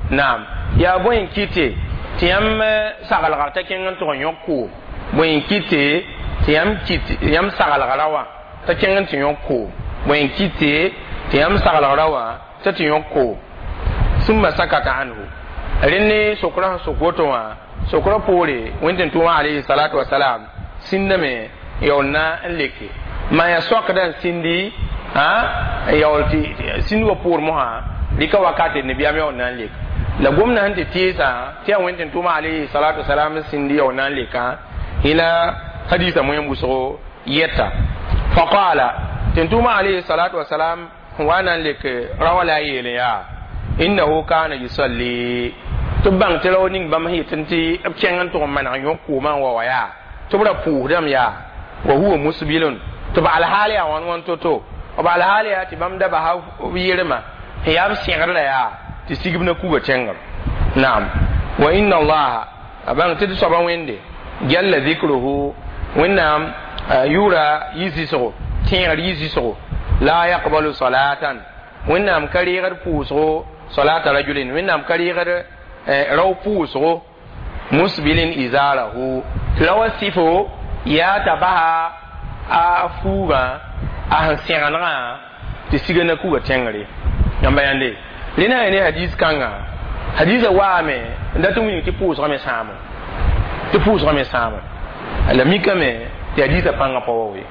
naam yaa bõe n kɩte tɩ yãmb saglgr t'a kẽng n tʋg n yõk koom bõe n kɩte tɩ yãmb saglgra wã t'a kẽng n tɩ yõk koom bõe n kɩte tɩ yãmb saglgra wã t'a tɩ yõk koom summa sakata anhu rẽnd sokra sẽn sok woto wã sokra poore wẽnd tɩ n tʋʋmã alayhi salatu wasalam sĩndame yaool na n leke maa yaa soakda n sĩndi n yaool tɩ sĩnd wã poor mosã rɩka wakate nabiyaam yaool na n lek la gomdã sẽn tɩ tɩɩsã tɩ yaa wẽnd tɩ n tʋʋmã alayhi salatu wasalam n sĩndi yaool na n lekã yẽla hadisa moẽm wʋsgo yɛta faqala tɩ n tʋʋmã alayhi salatu wasalam n wa na n lek rawa la a yeel yaa innahu kana yusalli tɩ b bãng tɩ rao ning bãmb sẽn yetɩ tɩ b kẽng n tʋg n maneg yõ koomã n wa wa yaa tɩ b ra pʋʋsdame yaa wa huwa musbilun tɩ b alhaal yaa wãn wãn to-to b alhaal yaa tɩ bãmb da basa b yelma sẽn yaa b sẽgr la yaa tɩ sigb na kuga tẽngr naam wa inna allaha a bãng tɩ d soaba wẽnde jalla dhikruhu wẽnnaam yʋʋra yi-zɩsgo tẽegr yi-zɩsgo la yaqbalu salatan wẽnnaam ka reegd pʋʋsgo salata rajulin wẽnnaam ka reegd rao pʋʋsgo musbilin izarahu tɩ ra wa sɩfo yaa t'a basa a fuugã a sẽn sẽgenegã tɩ siga na kuga tẽngre yãmba yãnde rẽna yaa ne hadis kãnga hadisã waame n dat n wilg tɩ pʋʋsgã me sãamo tɩ pʋʋsgã me sãamo la mikame tɩ hadisã pãngã pa wa we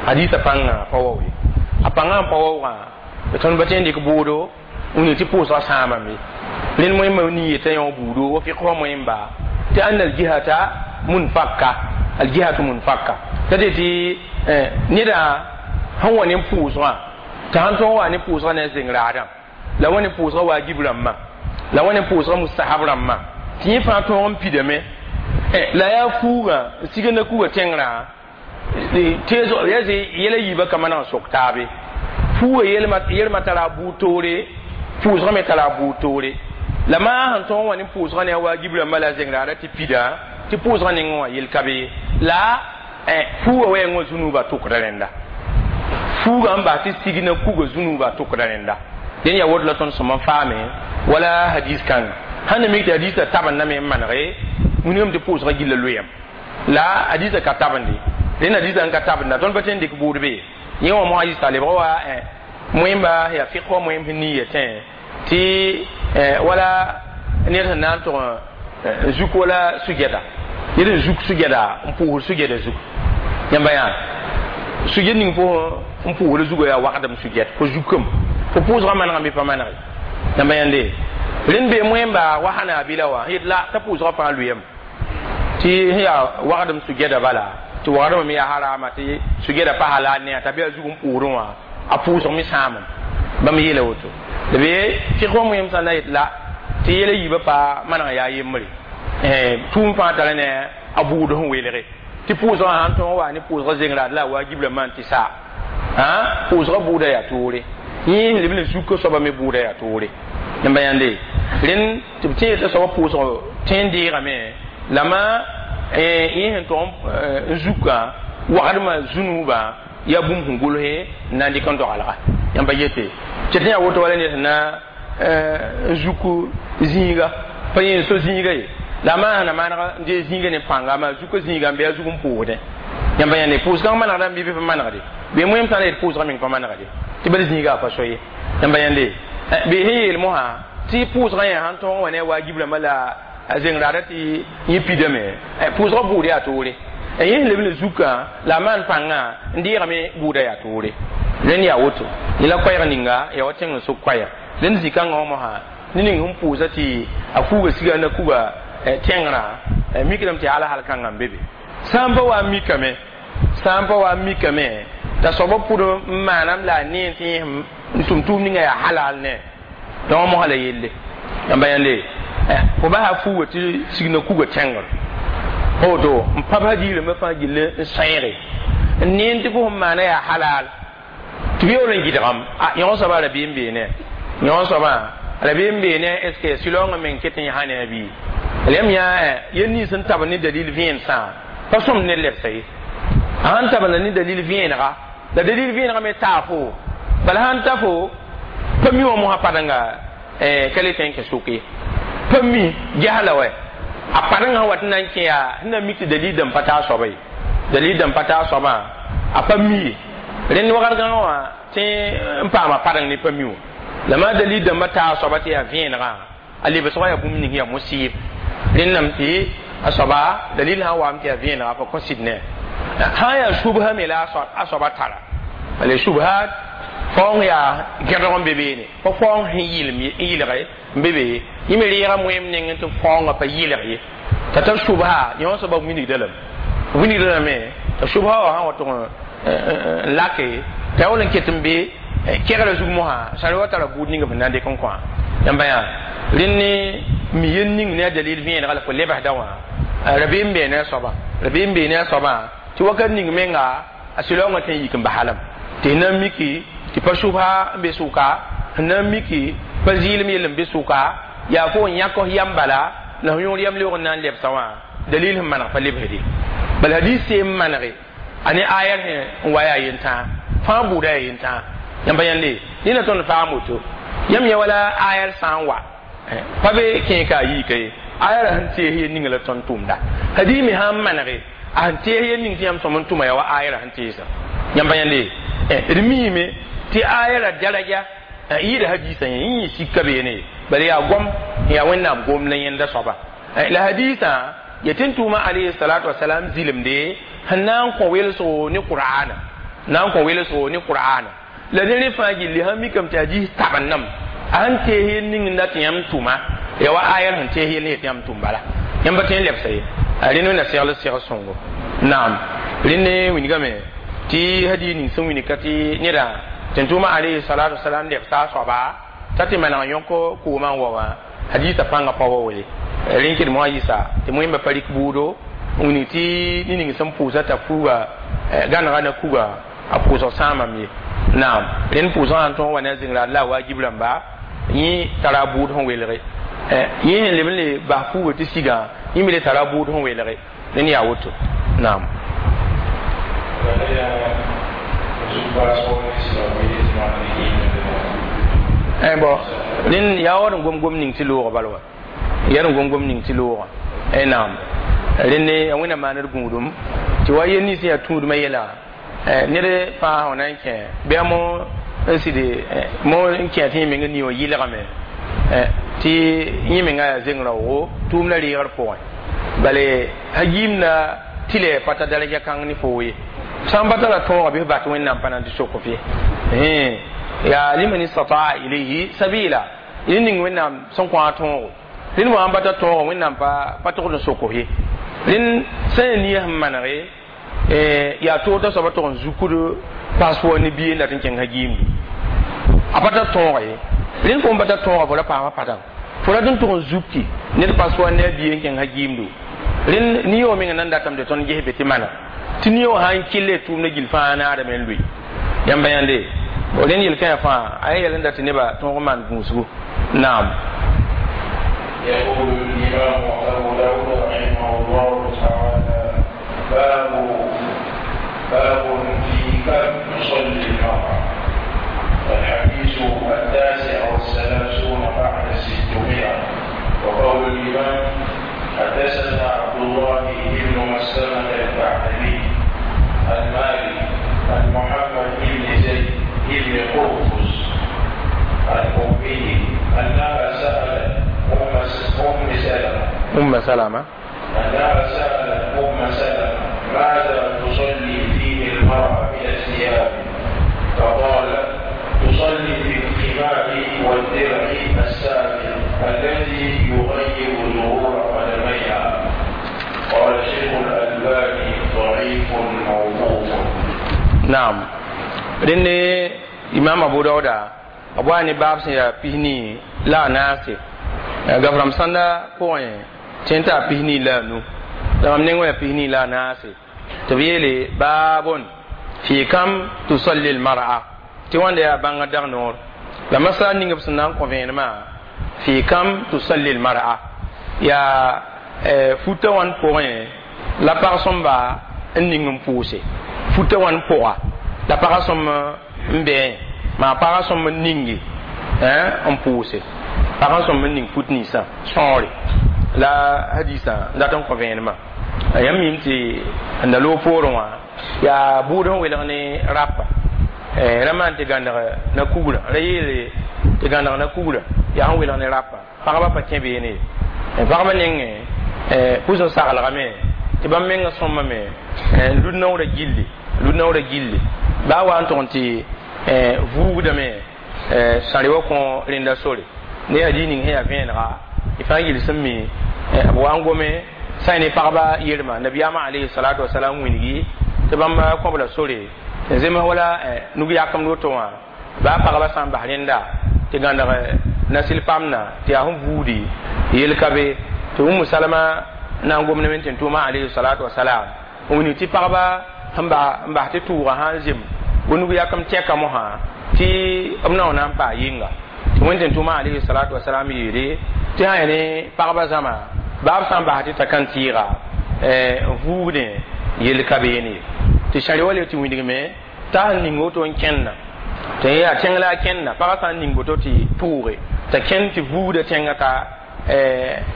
hadisã pãngã pa wa we a pãngã n pa waoogã tõnd pa tõe n dɩk bʋʋdo n wilg tɩ pʋʋsgã sãamame rẽnd moẽmba nin yeta yõ buudo wa fiqh wã moẽmba tɩ anna aljihata munfakka aljihatu munfakka t'a tɩ tɩ neda sẽn wa ne pʋʋsgã tɩ sãn tõog wa ne pʋʋsgã ne a zeng raadã la wa ne pʋʋsgã waajib rãmbã la wa ne pʋʋsgã mustahab rãmbã tɩ yẽ fãa tõog n pidame la yaa fuugã n sig na kuga tẽngrã teesg yaa yɛla yiibã ka maneg n sok taabe fuugã yelmã tara a buud toore pʋʋsgã me tara a buud toore la maa sẽn tõog n wa ne pʋʋsgã ne a waajib rãmbã la a zeng raadã tɩ pida tɩ pʋʋsgã nengẽ wã yel ka be la fuugã wɛɛngã zũnuubã tʋkda rẽnda fuugã n bas tɩ sig na kuga zũnuubã tʋkda rẽnda dẽn yaa woto la tõnd sõm n faame wala hadis kãnga sãn na mik tɩ hadisã tabendame n manege wilgame tɩ pʋʋsgã gilla loeem la hadisã ka tabende rẽnd hadisã n ka tabenda tõnd pa tõe n dɩk bʋʋd be yẽ wã mosã yɩs t'a lebg wa moẽmba yaa fiq wã moẽm sẽn nin yetẽ tɩ wala ned sẽn na n tʋg n zuk wala sugɛda ned n zuk sugɛda n pʋʋsd sugɛda zug yãmba yaa sugɛd ning fo n pʋʋsd zugã yaa wagdem sugɛd fo zukame fo pʋʋsgã manegame bɩ pa manege yãmba yãnde rẽnd bee moẽmba wa hanaabila wã yet la t'a pʋʋsgã fãa lʋyame tɩ sẽn yaa wagdem sugɛda bala tɩ wagdmã me yaa harama tɩ sugɛda pa halal ne t'a be a zug n pʋʋsdẽ wã a pʋʋsg me sãamem bãmb yeela woto la be fiq wã moẽm sã na yet la tɩ yɛla yiibã pa maneg yaa yembre tʋʋm fãa tara ne a buud sẽn welge tɩ pʋʋsgã sãn tõog wa ne pʋʋsgã zeng raad la a waajib rãmbã n tɩ sa pʋʋsgã bʋʋda yaa toore yẽ sẽn leb n zuk soaba me bʋʋda yaa toore yãmba yãnde rẽnd tɩ b tẽeg t'a soaba pʋʋsg tẽ n deegame la ma yẽ sẽn tog n zukã wagdmã zũnuubã yaa bũmb sẽn gʋlse n na n dɩk n dogalga yãmba yete tɩ tɩ yaa woto wala ned sẽn na n zuk zĩiga pa yẽ so zĩiga ye la maa sẽn na maneg n dee zĩiga ne pãnga maa zuka zĩiga n be a zug n pʋʋsdẽ yãmba yãnde pʋʋsgã manegda n bɩ bɩ pa manegde bee moẽm sã n yet pʋʋsgã meng pa manegde tɩ bal zĩiga a pa so ye yãmba yãnde bee sẽn yeel mosã tɩ pʋʋsgã yẽ sãn tõog n wa ne a waajib rãmbã la a zeng raada tɩ yẽ pidame pʋʋsgã bʋʋd yaa toore yẽ sẽn leb ne zukã la a maan pãngã n deegame bʋʋda yaa toore rẽnd yaa woto yẽ la koɛɛg ninga yaa wa tẽng n sok koɛɛg rẽnd zĩ-kãngã wã mosã ne ning sẽn pʋʋsa tɩ a fuuga siga na kuga tẽngrã mikdame tɩ yaa alhal kãngã n be be sã n pa wa n mikame sã n pa wa n mikame t'a soaba pʋd n maanam la a nee tɩ yẽ n tʋm tʋʋm ninga yaa halal ne donc mosã la yelle yãmba yãnde fo basa fuuga tɩ sig na kuga tẽngr Woto n pa hadiis rãmbã fãa gill n sẽege n neen tɩ fo sẽn maana yaa halal tɩ b yaool n gɩdgame yõ soabã rabeem beene yõ soabã rabeem beene est ce que sɩlaoongã meng ket n yã ne a bii lem yã yel nins sẽn tab ne dalil vẽensã pa sõmd ne lebsa ye a sãn tabenda ne dalil vẽenega la dalil vẽenega me taa fo bala sãn ta fo pa mi wã mosã padenga ka le tõe n kẽ sʋk ye pa mi gesla wɛ a padengã sẽn wat n na n kẽ yaa sẽn na mik tɩ dalil dãmb pa taa soaba ye dalil dãmb pa taa soabã a pa mi ye rẽnd wakat gãngã wã tẽ n paama padeng ne pa mi wã la maa dalil dãmbã taa soaba tɩ yaa vẽenegã a lebsgã yaa bũmb ning yaa mosɩɩb rẽndame tɩ a soaba dalil sã n waam tɩ yaa vẽenega fa kõ sɩd ne sã n yaa subsa me la a soaba tara bala subha faoong yaa gẽdg n be beene pa faoong sẽn yɩlge n be be yẽ me reega moeem nengẽ tɩ faoongã pa yɩlg ye t'a tar subha yõ soaba wilgda lame wilgda lame t'a subha wã sã wa tʋg n lake t'a yaool n ket n be kɛgrã zug mosã sã wa tara buud ninga fẽn na n dɩk n kõ yãmba yaa rẽnd ne mi yel ning ne a dalil vẽenega la fo lebsda wã rabeem bee ne a soaba rabeem bee ne a soabã tɩ wakat ning menga a sɩlaoongã tõe n yik n basa lame tɩ na n miki tɩ pa subsa n be sʋka sẽn na n miki pa zɩɩlem yell n be sʋka yaa fo n yãk f yam bala la f yõor yam leoog n na n lebsa wã dalil sẽn maneg pa lebsde bala hadis seem manege a ne ayar sẽn n wa yaa yentãa fãa buuda yaa yentãa yãmba yãnde nina tõnd faam woto yãmb yã wala ayar sã n wa pa be kẽe ka a yiika ye ayara sẽn tees yel ninga la tõnd tʋʋmda hadis me sã n manege a sẽn tees yel ning tɩ yãmb sõm n tʋma yaa wa ayara sẽn teesa yãmba yãnde d miime tɩ ayara daraja yɩɩda hadisã yẽ yẽ sika beene bala yaa gom yaa wẽnnaam gom la yẽnda soaba la hadisã ya tɩ n tʋʋma alayhi salatu wasalam zɩlemde sẽn na n kõ welsgo ne qur'ana na n kõ welsgo ne qur'ana la ne rẽ fãa gilli sãn mikame tɩ hadis tabendame a sẽn tees yel ning n dat tɩ yãmb tʋma ya wa ayar sẽn tees yel ne tɩ yãmb tʋm bala yãmb pa tõe n lebsa ye a rẽnd wẽnna segl segl sõngo naam rẽnd ne wilgame tɩ hadis ning sẽn wilg ka tɩ neda tɩ n tʋʋma alayhi salatu wasalam lebsa a soaba t'a tɩ maneg yõk koomã n wa wã hadisa pãngã pa wa wele rẽn kɩd moa yɩsa tɩ wẽmba pa rɩk buudo n wilg tɩ ne ning sẽn pʋʋsa t'a fuuga gãnega na kuga a pʋʋsg sãamame ye naam rẽnd pʋʋsgã sãn tõog wa ne a zĩngra la a wajib rãmba yẽ tara a buud sẽn welge yẽ sẽn leb n le bas fuuga tɩ sigã yẽ me le tara a buud sẽn welge rẽnd yaa woto naam. Bon rẽnd yaa wa d n gom-gom ning tɩ loogã bala wa yaa d n gom-gom ning tɩ loogã naam rẽnd ya wẽnnaam maan d gũudum tɩ wa yel nins yaa tũudmã yɛla ned fãa sã na n kẽ bɩ a mo n sɩd mo n kẽ tɩ yẽ meng ni wã yɩlgame tɩ yẽ menga yaa zeng raoogo tʋʋmdã reegr pʋgẽ bale hagiimda tɩ pa ta daraja kãng ne foo ye sã n pa tara tõoga bɩ f bat wẽnnaam pa na n tɩ sok f ye yaa liman istataa ilayhi sabila yẽ ning wẽnnaam sẽn kõ a tõogo rẽnd wã n pa ta tõoga wẽnnaam pa togd n sok f ye rẽnd sẽn yaa nia sẽn manege yaa toog t'a soaba tog n zukud passeport ne bie n dat n kẽng hagiimdu a pa tar tõoga ye rẽnd fo n pa tar tõoga fo ra paama padang fo rat n tʋg n zukki ned passeport ne a bie n kẽng hagiimdu rẽnd niyoog menga nan datame tɩ tõnd ges be tɩ mana tɩ niyoog sã n kɩlle tʋʋmdã gill fãa naadame n lʋɩ yãmba yãnde rẽnd yel-kãyã fãa a yaa yɛl n dat tɩ nebã tõog n maan gũusgu naam. يقول الإمام أبو داود رحمه الله تعالى: باب في كم تصلي المرأة. الحديث 639 بعد 600. وقول الإمام: حدثنا عبد الله بن مسلمة البعثلي المالي عن محمد بن زيد بن قرطس عن أمه أنها سألت أم سلمة أم سلمة أنها سألت أم سلمة: ماذا تصلي فيه المرأة من الثياب؟ فقالت: تصلي في الخمار والدرع السابق الذي يغير ظهور قدميها. قال شيخ الألباني: ضعيف موقوف. نعم rẽnd imam abu dauda b wa ne baab sẽn yaa pisnii la a naase gafram sãnda pʋgẽ tẽ t'a pisnii la a nu La mam neng wã yaa 24 la a naase tɩ b yeele baabon fi kam tusalli lmar'a tɩ wãnda yaa bãngã dag noor la masala ning b sẽn na n kõ vẽenemã fi kam tusalli lmar'a yaa futa wãn pʋgẽ la pag sõmba n ning n pʋʋse futa wãn pʋga la pagã sõm n bɛɛ maa pagã sõm n ninge n pʋʋse pagã sõm n ning fut ninsã sõore la hadisã n dat n kõ vẽenemã yãmb mim tɩ n da loog poorẽ wã yaa buud sẽn welg ne rapa ra maan tɩ gãneg na kugrã ra yeele tɩ gãneg na kugrã yaa sẽn welg ne rapa pagba pa kẽ beene ye pagba nengẽ pʋs n saglgame tɩ bãmb mengã sõmame n lud naoorã gilli lud naoorã gilli baa wa n tʋg n tɩ vuugdame sãre wa kõ rẽnda sore ne hadis ning sẽn yaa vẽenega y fãa yel sẽn mi b wa n gome sã ne pagba yelma nabiyaamã alayhi salatu wasalam wilgi tɩ bãmb kõb la sore n zems wala nug yakemd woto wã baa pagba sã n bas rẽnda tɩ gãneg nasil pamna tɩ yaa sẽn vuudi yel ka be tɩ umu salama na n gomdame tɩ n tʋʋma alayhi salatu wasalam n wilg tɩ pagba sẽn bas tɩ tʋʋga sã n zem nug yakem tɛka mosã tɩ b na n na n paa yɩnga tɩ wẽnd tɩ n tʋʋma alayhi salatu wasalam yeele tɩ sã yaa ne pagba zãma baa b sã n bas tɩ t'a kan tɩɩga n vuugdẽ yel ka beene ye tɩ sãre wa le tɩ wilgme t'a sẽn ning woto n kẽnna tɩ yaa tẽng la a kẽnna pagã sã n ning woto tɩ tʋʋge t'a kẽnd tɩ vuugda tẽngã ka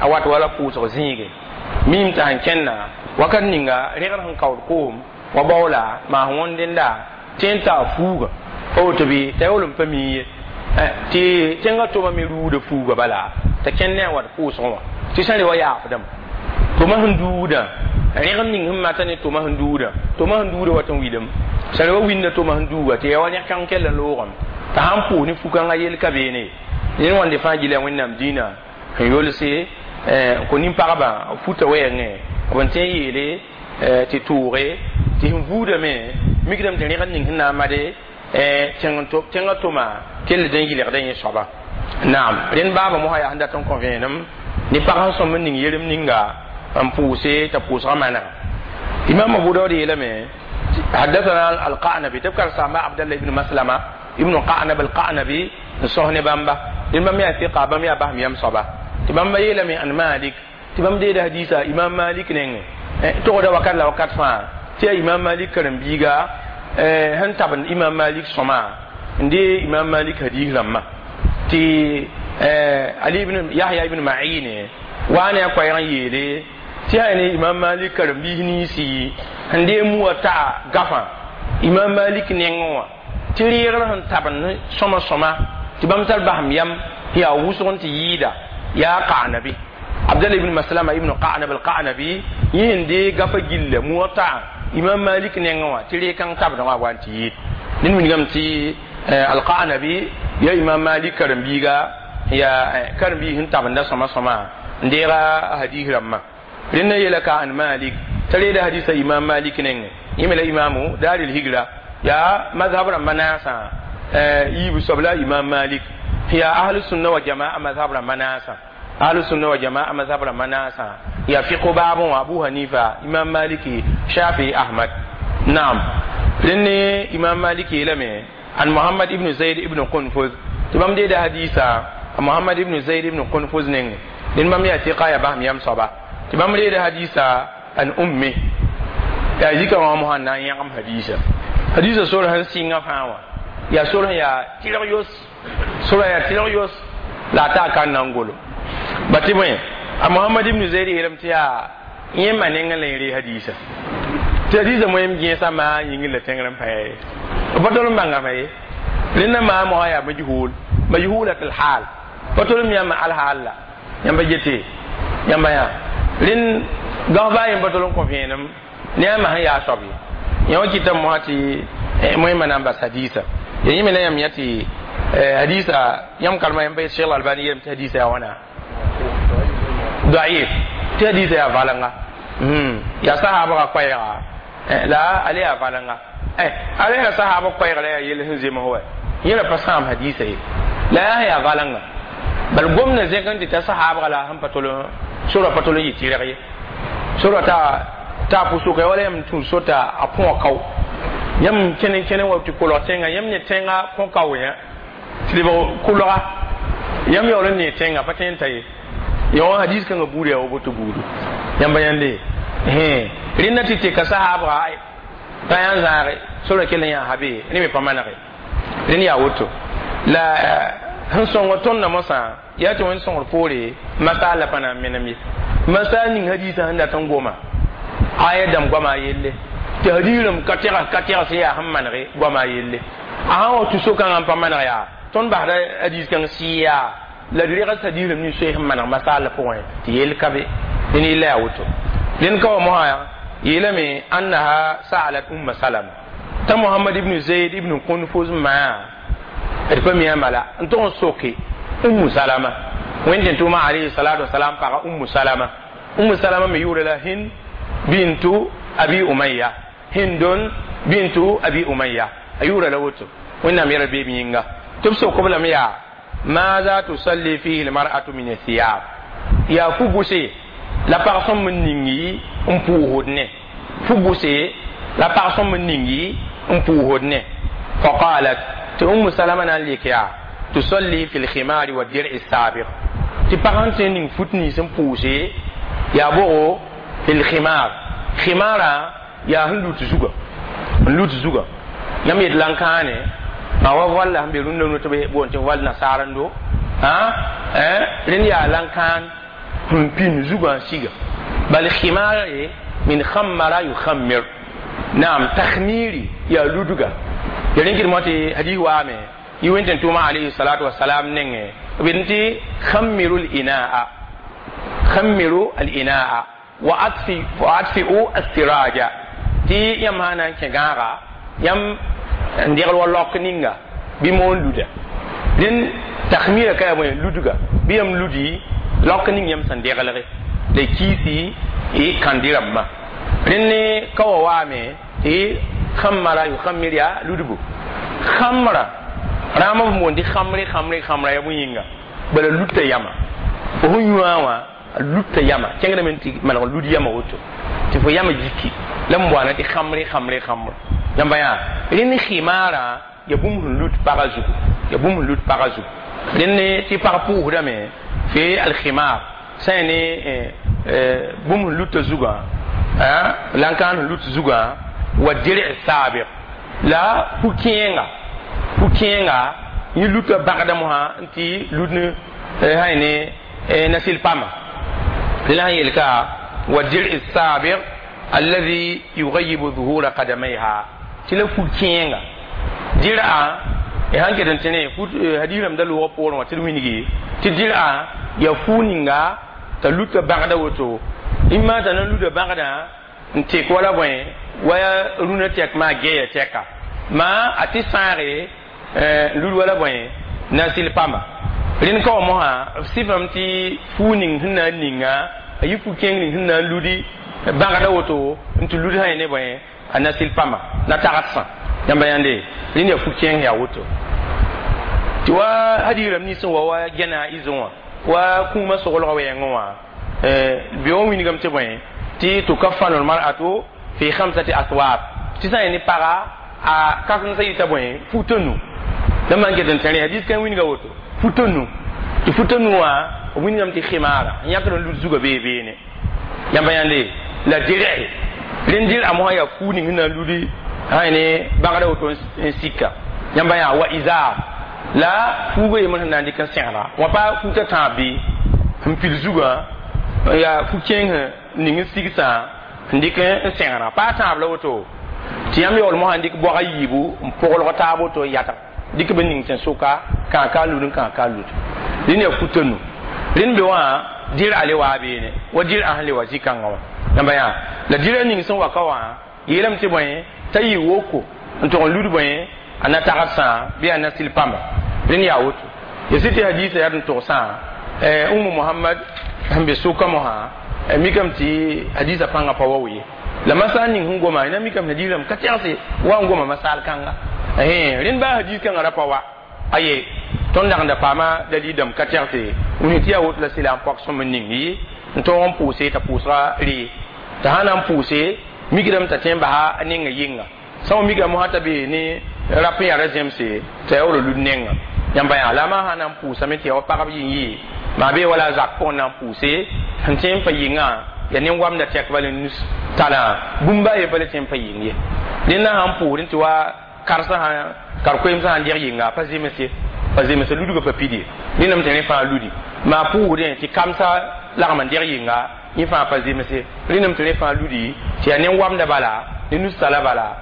a wat wala pʋʋsg zĩige mim t'a sẽn kẽnna wakat ninga rẽgr sẽn kaood koom wa baoola maa sẽn wõnd dẽnda tɩ n taa fuuga pa woto bɩ t'a yaool n pa mi ye tɩ tẽngã tʋma me ruuda fuuga bala t'a kẽnd ne a wat pʋʋsgẽ wã tɩ sã re wa yaafdame tʋma sẽn duudã rẽgem ning sẽn mata ne tʋma sẽn duudã tʋma sẽn duudã wat n wilem sã re wa winda tʋma sẽn duuga tɩ yaa wa rẽk-kãng kell n loogame t'a sãn pʋʋs ne fu-kãngã yel ka beene ye ned wãnde fãa gila wẽnnaam dĩinã sẽn yolse kõ nin-pagbã futa wɛɛngẽ b n tõe n yeele tɩ tʋʋge tɩ sẽn vuudame mikdame tɩ rẽgd ning sẽn na n made tẽngã tʋma kell n yɩlgdã yẽ soaba naam rẽnd baaba mosã yaa sẽn dat n kõ vẽenem ne pag sẽn sõm n ning yerem ninga n pʋʋse t'a pʋʋsgã manega imam abu daud yeelame حدثنا القعنبي تذكر سامع عبد الله بن مسلمة ابن قعنب القعنبي نصهن بامبا إمام يا ثقة بام يا بهم يم صبا تبام يلمي عن مالك تبام دي حديثا إمام مالك نين تقول وقت لا وقت فا تي إمام مالك كرم بيغا هن تبن إمام مالك سما ndي إمام مالك حديث لما تي علي بن يحيى بن معين وانا كويران يلي tɩ yaa ne imam malik karen-biis ninsi sẽn dee muwã taa gafã imam malik nengẽ wã tɩ reegr sẽn tabend sõma sõma tɩ bãmb tar basem yam sẽn yaa wʋsg n tɩ yɩɩda yaa qanabi abdallah ibn maslama ibn qanab al-qanabi yẽ sẽn dee gafa gilla muwã taa imam malik nengẽ wã tɩ reeg-kãng tabdã wã wa n tɩ yɩɩd ned wilgame tɩ al-qanabi ya imam malik karen-biiga yaa karen-biis sẽn tabenda sõma sõma n deega hadis rãmbã rẽnda yeela ka an malik t'a reeda hadisa imam malik nengẽ yẽ me la imamu daar higra yaa mazhab rãmba naasã yiib soab la imam malik yaa ahlu sunna wa jamaa mazhab rãmba naasã ahlu sunna wa jamaa mazhab rãmba naasã yaa fiqh baabẽ wã abu hanifa imam maliki shafi ahmad naam rẽnd imam malik yeelame an muhammad ibn zaid ibn qunfuz tɩ bãmb deeda hadisa muhammad ibn zaid ibn qunfuz nengẽ rẽnd bãmb yaa tɩqa yaa basem yam soaba tɩ bãmb reeda hadisa an ummi yaa zika wã mosã n na n yãgem hadisa hadisa sor sẽn sɩnga fãa wã yaa sor sẽn yaa tɩrg yos sora yaa tɩrg yos la a taa kan na n golo ba tɩ bõe a mohamad ibn zaid yeelame tɩ yaa yẽ ma nengẽ la yẽ ree hadisa tɩ hadisa moẽm gẽesã maa yĩngr la tẽngr n pa ye b pa tol n bãngame ye rẽnda maa mosã yaa majhul majhulat alhaal pa tol n yãmba alhaal la yãmba yete yãmba yaa rẽnd gãosba yẽ pa tol n kõ vẽenem ne a ma sẽn yaa soab ye yã wã kɩtame mosã tɩ moẽmã na n bas hadisa ya yẽ me la yãmb yã tɩ hadisa yãmb karema yãmb pa Cheikh Albani yeelame tɩ hadisa yaa wãna daif tɩ hadisa yaa valenga yaa sahaabga koɛɛga la ale yaa valenga ale yaa sahaaba koɛɛga la yaa yel sẽn zems wa yẽ ra pa sãam hadisa ye la yaa sẽn yaa valenga bal gomdã zẽk n tɩ ta sahaabga la sẽn pa tol sora pa tol n yɩ tɩrg ye Sora ta pʋ-sʋka wala yãmb tũ sota a põa kao yãmb kẽne kẽne wa tɩ kolg tẽngã yãmb ne tẽngã kõ kao yã tɩ lebg kolga yãmb yaool n nee tẽngã pa tõe n ta ye ya wã hadis kãngã buud yaa wa boto buudu yãmba yãnde rẽnda tɩ teka sahaabga pa yã n zãage sora kell n yaa habe rẽ me pa manege rẽnd yaa woto la sẽn sõng tõndã mosã yaa tɩ wẽnd sõngr poore masaal la pa na n menem ye masaal ning hadiisã sẽn dat n goma aya dãmb goama a yelle tɩ hadiisrãmb ka tɛgs ka tɛgs yaa sẽn manege goama a yelle a sã wa tũ so-kãngã n pa maneg yaa tõnd basda hadiis kãng sɩ yaa la d regs hadiisrãmb ning soe sẽn maneg masaal la pʋgẽ tɩ yell ka be dẽn yella yaa woto dẽn ka wa mosã yeelame annaha sa'alat umma salama t'a Mohamad ibn Zaid ibn Qunfuz maa d pa mi a mala n tʋg n soke Ummu Salama wẽnd tɩ tʋʋma alayhi salatu wasalam paga Ummu Salama. Ummu Salama me yʋʋra la Hind bintu Abi Umayya, Hindun bintu Abi Umayya a yʋʋra la woto Wẽnnaam yɛla beeb yĩnga tɩ b sok b lame yaa maza tusalli fihi lmar'atu min athiyab yaa fu bʋse la pag sõm n ningi n pʋʋsd ne fu bʋse la pag sõm n ningi n pʋʋsd ne. Faqalat tɩ Ummu Salama na n lek yaa tusalli fi lkhimari wa dir'i sabiq tɩ pag sẽn tõe n ning fut nins n pʋʋse yaa bogo fi lkhimar khimara yaa sẽn lut zuga n lut zuga yãmb yet la n kãane ma wa voal la sẽn be rũndã nu tɩ b boond tɩ voal nasaarendo rẽnd yaa lan-kãan sẽn pĩnd zugã n siga bal khimare min khammara yukhammir naam takhmiri yaa ludga ya rẽn kɩdmõ tɩ hadis waame yɩ wẽn tɩ tʋʋma alayhi salatu wasalam nengẽ b yetẽ tɩ khammiru l-inaa khammiru al-inaa wa atfi'u as-siraja tɩ yãmb sã na n kẽ gãaga yãmb n degl wa lok ninga bɩ moon luda rẽnd takhmira ka yaa bõe ludga bɩ yãmb ludi lok ning yãmb sẽn deglge la kiisi y kãndi rãmbã rẽnd ne ka wa waame tɩ khammara yukhammir yaa ludbu khamra rãam b boond tɩ khamre khamre khamra yaa bõe yĩnga bala luta yama fo sẽn yũã wã a luta yama kẽngdame tɩ maneg lud yama woto tɩ fo yama jiki la n boana tɩ khamre khamre khamra yãmba yaa rẽnd khimara ya bũmb sẽn lut pagã zugu ya bũmb sẽn lut pagã zugu rẽnd ne tɩ pag pʋʋsdame fi alkhimar sã ya ne bũmb sẽn luta zugã la n kãan sẽn lut zugã wa dir sabiq la pu-kẽenga pu-kẽenga yẽ luta bãgda mosã n tɩ lut ne sã ne nasil pama la sẽn yel ka wa dir sabiq alladhi yughayibu zuhura qadamayha tɩ la fu-kẽenga dir'a sãn ket n tẽ ne hadiisrãmb da loogã poorẽ wã tɩ d wilgi tɩ dir'a yaa fuu ninga t'a luta bãgda woto imma t'a na n luta bãgdã n tek wala bõe wa rũnã tɛk maa geeya tɛka maa a tɩ sãage n lud wala bõe nasil pama rẽnd ka wa mosã b sɩfame tɩ fuu ning sẽn na n ninga a yɩ fu-kẽng ning sẽn na n ludi bãgda woto n tɩ lud sã ne bõe a nasil pama na tagsã yãmba yãnde rẽnd yaa fu-kẽng yaa woto tɩ wa hadiisrãmb nins sẽn wa wa gɛna izẽ wã wa kũumã soglgã wɛɛngẽ wã be wã wilgame tɩ bõe tɩ tukaffanu lmar'atu fi khamsati aswab tɩ sã n ne paga a kãsem-sã yita bõe futa nu la man ket n tẽre hadis kãn wilga woto futa nu tɩ futa nu wã b wilgame tɩ khimara n yãkd n lut zugã bee beene yãmba yãnde la dir'i rẽnd dir'a mosã yaa fuu ning sẽn na n ludi sã ne bãgda woto n sika yãmba yaa wa izar la fuugã yembr sẽn na n dɩk n sẽgda wã pa futa tãab bɩ sẽn pil zugã yaa fu-kẽng ning n sigsã n dɩk n sẽgda pa tãab la woto tɩ yãmb yaool mosã n dɩk boag a yiibu n poglg taab woto n yatg dɩk b ning sẽn sʋka kãa ka lud n kãa ka lud rẽnd yaa futa nu rẽnd be wã dɩr'a le waa beene wa dɩr'a sẽn le wa zĩ-kãngã wã yãmba yaa la dɩr'a ning sẽn wa ka wã yeelame tɩ bõe t'a yɩ woko n tʋg n lud bõe a na tagsã bɩ a nasil pamba rẽnd yaa woto ya sɩ tɩ hadiisã yaa n togsã Umu Mohamad sẽn be sʋka mosã mikame tɩ hadiisã pãngã pa wa ye la masal ning sẽn goma na mikame hadiisrãmb ka tɛgse wa n goma masal kãnga rẽnd baa hadiis kãngã ra pa wa aye tõnd dag n da paama dalil dãmb ka tɛgse wĩnga tɩ yaa woto la sɩla n pɔk sõm n ning ye n tõog n pʋʋse t'a pʋʋsga ree T'a sã na n pʋʋse mikdame t'a tõe n basa a nenga yɩnga sã n mikame mosã t'a bee ne rap n yaa ra zemse t'a yaool n lud nenga yãmba yaa la a maa sã na n pʋʋsame tɩ ya wa pagb yɩ n yɩ maa bee wala a zak pʋgẽ na n pʋʋse sẽn tõe n pa yɩngã ya nin-wamda tɛk bala nus talã bũmb a ye pa le tõe n pa yɩng ye dẽnda sãn pʋʋsd tɩ wa karsã sã kar-koeemsã sãn deg yɩnga pa zems ye pa zems ludgã pa pid ye rẽndame tɩ rẽ fãa ludi maa pʋʋsdẽ tɩ kamsã lagm n deg yɩnga yẽ fãa pa zems ye rẽndame tɩ rẽ fãa ludi tɩ yaa nin-wamda bala ne nus-tala bala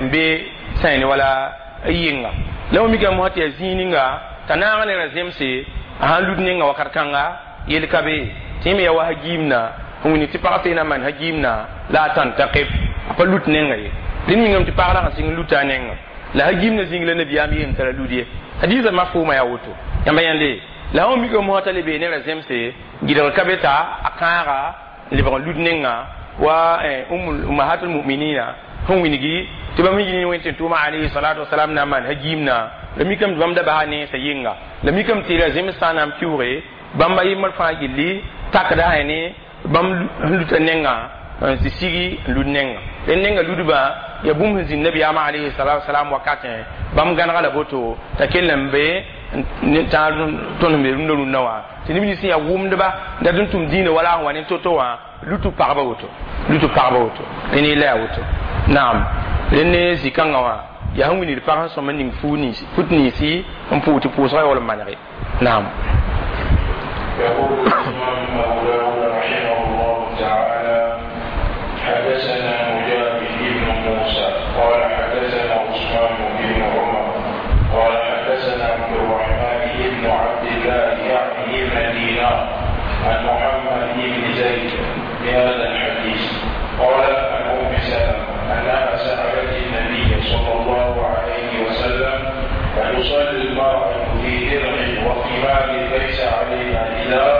n be sã ne wala yɩnga la wã mikame mosã tɩ yaa zĩig ninga t'a naag ne ra zemse a sãn lud nenga wakat kãnga yel ka be tɩ yẽ me yaa wa sã giimna n wilg tɩ pag seen a maan sã giimna la a tãn-tãkeb a pa lut nenga ye rẽnd mingame tɩ pag rag n sɩng n luta a nenga la sã giimna zĩig la nabiyaam yeem t'a ra lud ye hadiisã mafʋʋmã yaa woto yãmba yãnde la sã mikame mosã t'a le bee ne ra zemse gɩdg ka be t'a a kãaga n lebg n lud nenga wa ummahatul muminina sẽn wilgi tɩ bãmb yĩn wẽn tɩ tʋʋma alayhi salatu wasalam na n maan sã giimna la mikame tɩ bãmb da basa nensã yɩnga la mikame tɩ ra zems sã n na n pɩʋʋge bãmb a yembr fãa gilli takda ne bãmb sẽn luta nenga n tɩ sigi n lud nenga rẽnd nenga ludbã yaa bũmb sẽn zĩnd nabiyaamã alayhi salatu wasalam wakatẽ bãmb gãnega la boto t'a kell n be tãag tõnd sẽn be rũndã rũndã wã tɩ neb nins sẽn yaa wʋmdba dat n tʋm dĩinã wala sẽn wa ne to-to wã lutu pagba woto lutu pagba woto rẽnd yella yaa woto naam rẽnd ne zĩ-kãngã wã yaa sẽn wilgd pag sẽn sõm n ning fut ninsi n pʋʋg tɩ pʋʋsgã yaool n manege naam. يقول الإمام أبو داود رحمه الله تعالى: حدثنا مجاهد بن موسى قال حدثنا عثمان بن عمر قال حدثنا عبد الرحمن بن عبد الله يعني ابن دينار عن محمد بن زيد بهذا الحديث. قال: عن أم سلمة أنها سألت النبي صلى الله عليه وسلم: أتصلي المرأة في درع وخمار ليس عليها إزار؟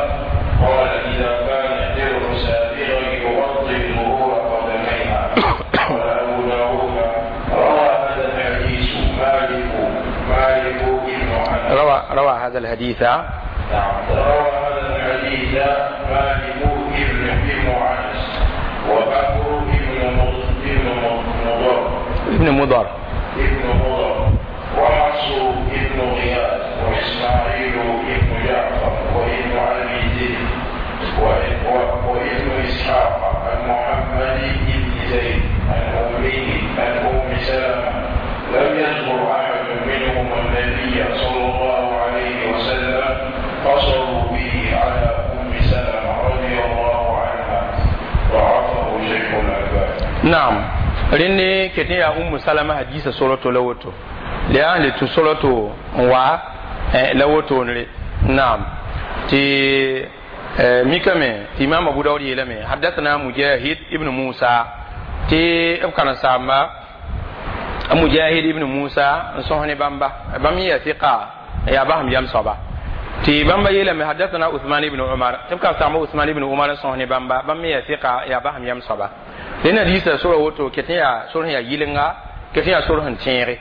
قال: إذا كان الدرع سابغا يغطي ظهور قدميها. قال أبو داود: روى هذا الحديث مالك بن أنس. روى هذا الحديث. نعم، روى هذا الحديث مالك بن أنس وبكر بن مضر ابن مضر ابن مضر وحفص بن غياث وإسماعيل بن جعفر وابن أبي ذئب وابن إسحاق عن محمد بن زيد عن أمه عن أم سلمة لم يذكر أحد منهم النبي صلى الله عليه وسلم، قصروا به على أم سلمة رضي الله عنها. ضعفه شيخ الألباني. Naam, rẽnd ket n yaa Ummu Salama hadiisa soroto la woto la yaa n le tũ soroto n wa la wotoonre naam tɩ mikame tɩ imam Abu Daud yeelame: حدثنا Mujahid ibn Musa tɩ b karen-saamba Mujahid ibn Musa n sõs ne bãmba bãmb yã sɩka yaa basem yam soaba tɩ bãmba yeelame: حدثنا Uthman ibn Umar tɩ b karen-saamba Usman ibn Umar n sõs ne bãmba bãmb me yaa sɩka yaa basem yam soaba. Rẽnd hadiisa sora woto ket n yaa sor sẽn yaa yɩlenga ket n yaa sor sẽn tẽege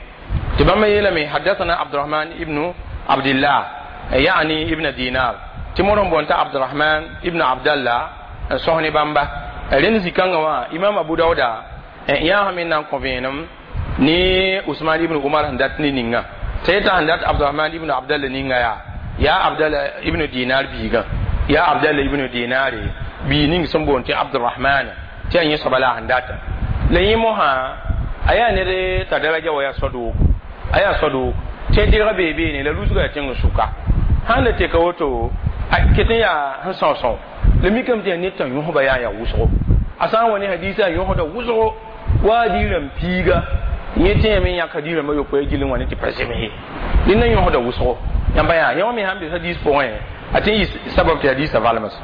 tɩ bãmba yeelame: حدثنا Abdurahman ibn Abdillah يعني ibn Dinar tɩ modg n boond t'a Abdurahman ibn Abdallah n sõs ne bãmba. Rẽnd zĩ-kãngã wã imam Abu Dauda yãag me na n kõ vẽenem ne Usman ibn Umar sẽn dat ne ninga t'a yeta sẽn dat Abdurahman ibn Abdallah ninga yaa Abdallah ibn Dinar biigã yaa Abdallah ibn Dinare bii ning sẽn boond tɩ Abdurahman tɩ yaa yẽ soaba la a sẽn data la yẽ mosã a yaa ned t'a daraja wa yaa soa-doog a yaa soa-doog tɩ a dɩrga bee beene la rusga yaa tẽng sʋka sãn la teka woto a ket n yaa sẽn sõo-sõo la mikame tɩ yaa ned t'a yõsba yaa yaa wʋsgo a sã n wa ne hadiisã a yõsda wʋsgo wa a diirãmb piiga yẽ tẽeme n yãk hadiirãmbã yopoe gill n wa ne tɩ pa zems ye dẽnda yõsda wʋsgo yãmba yaa yẽ wã me sãn be hadiis pʋgẽ a tɩ n yɩ sabab tɩ hadiisã valms.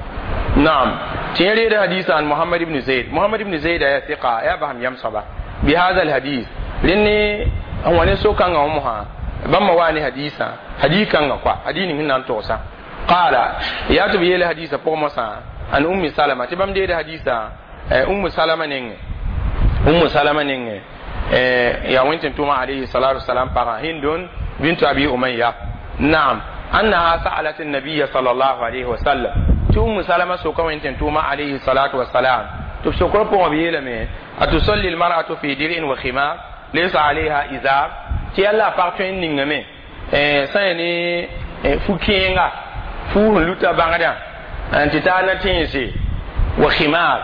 Naam, tɩ yẽ reeda hadiisã an Muhammad ibn Zaid. Muhammad ibn Zaid yaa sɩka yaa basem yam soaba بهذا الحديث rẽnd n wa ne so-kãngã wã mosã bãmba waa ne hadiisã hadiis kãngã koa hadiis ning sẽn na n togsã qaala yaa tɩ b yeela hadiisã pʋgẽ mosã an Ummi Salama tɩ bãmb deeda hadiisã Ummu Salama nengẽ Ummu Salama nengẽ yaa wẽn tɩ tʋʋmã alayhi salatu wasalam pagã Hindun bintu Abi Umayya. Naam, أنها سألت النبي صلى الله عليه وسلم tɩ Ummu Salama soka wẽn tɩ tʋʋmã alayhi salatu wasalam. Tɩ b sokr pʋgã b yeelame atusalli lmar'atu fi dir'in wa khimar laysa alayha izar tɩ yalla a pag tõe n ningame sã ya ne fu-kẽenga fuus n luta bãgdã n tɩ taa na tẽense wa khimar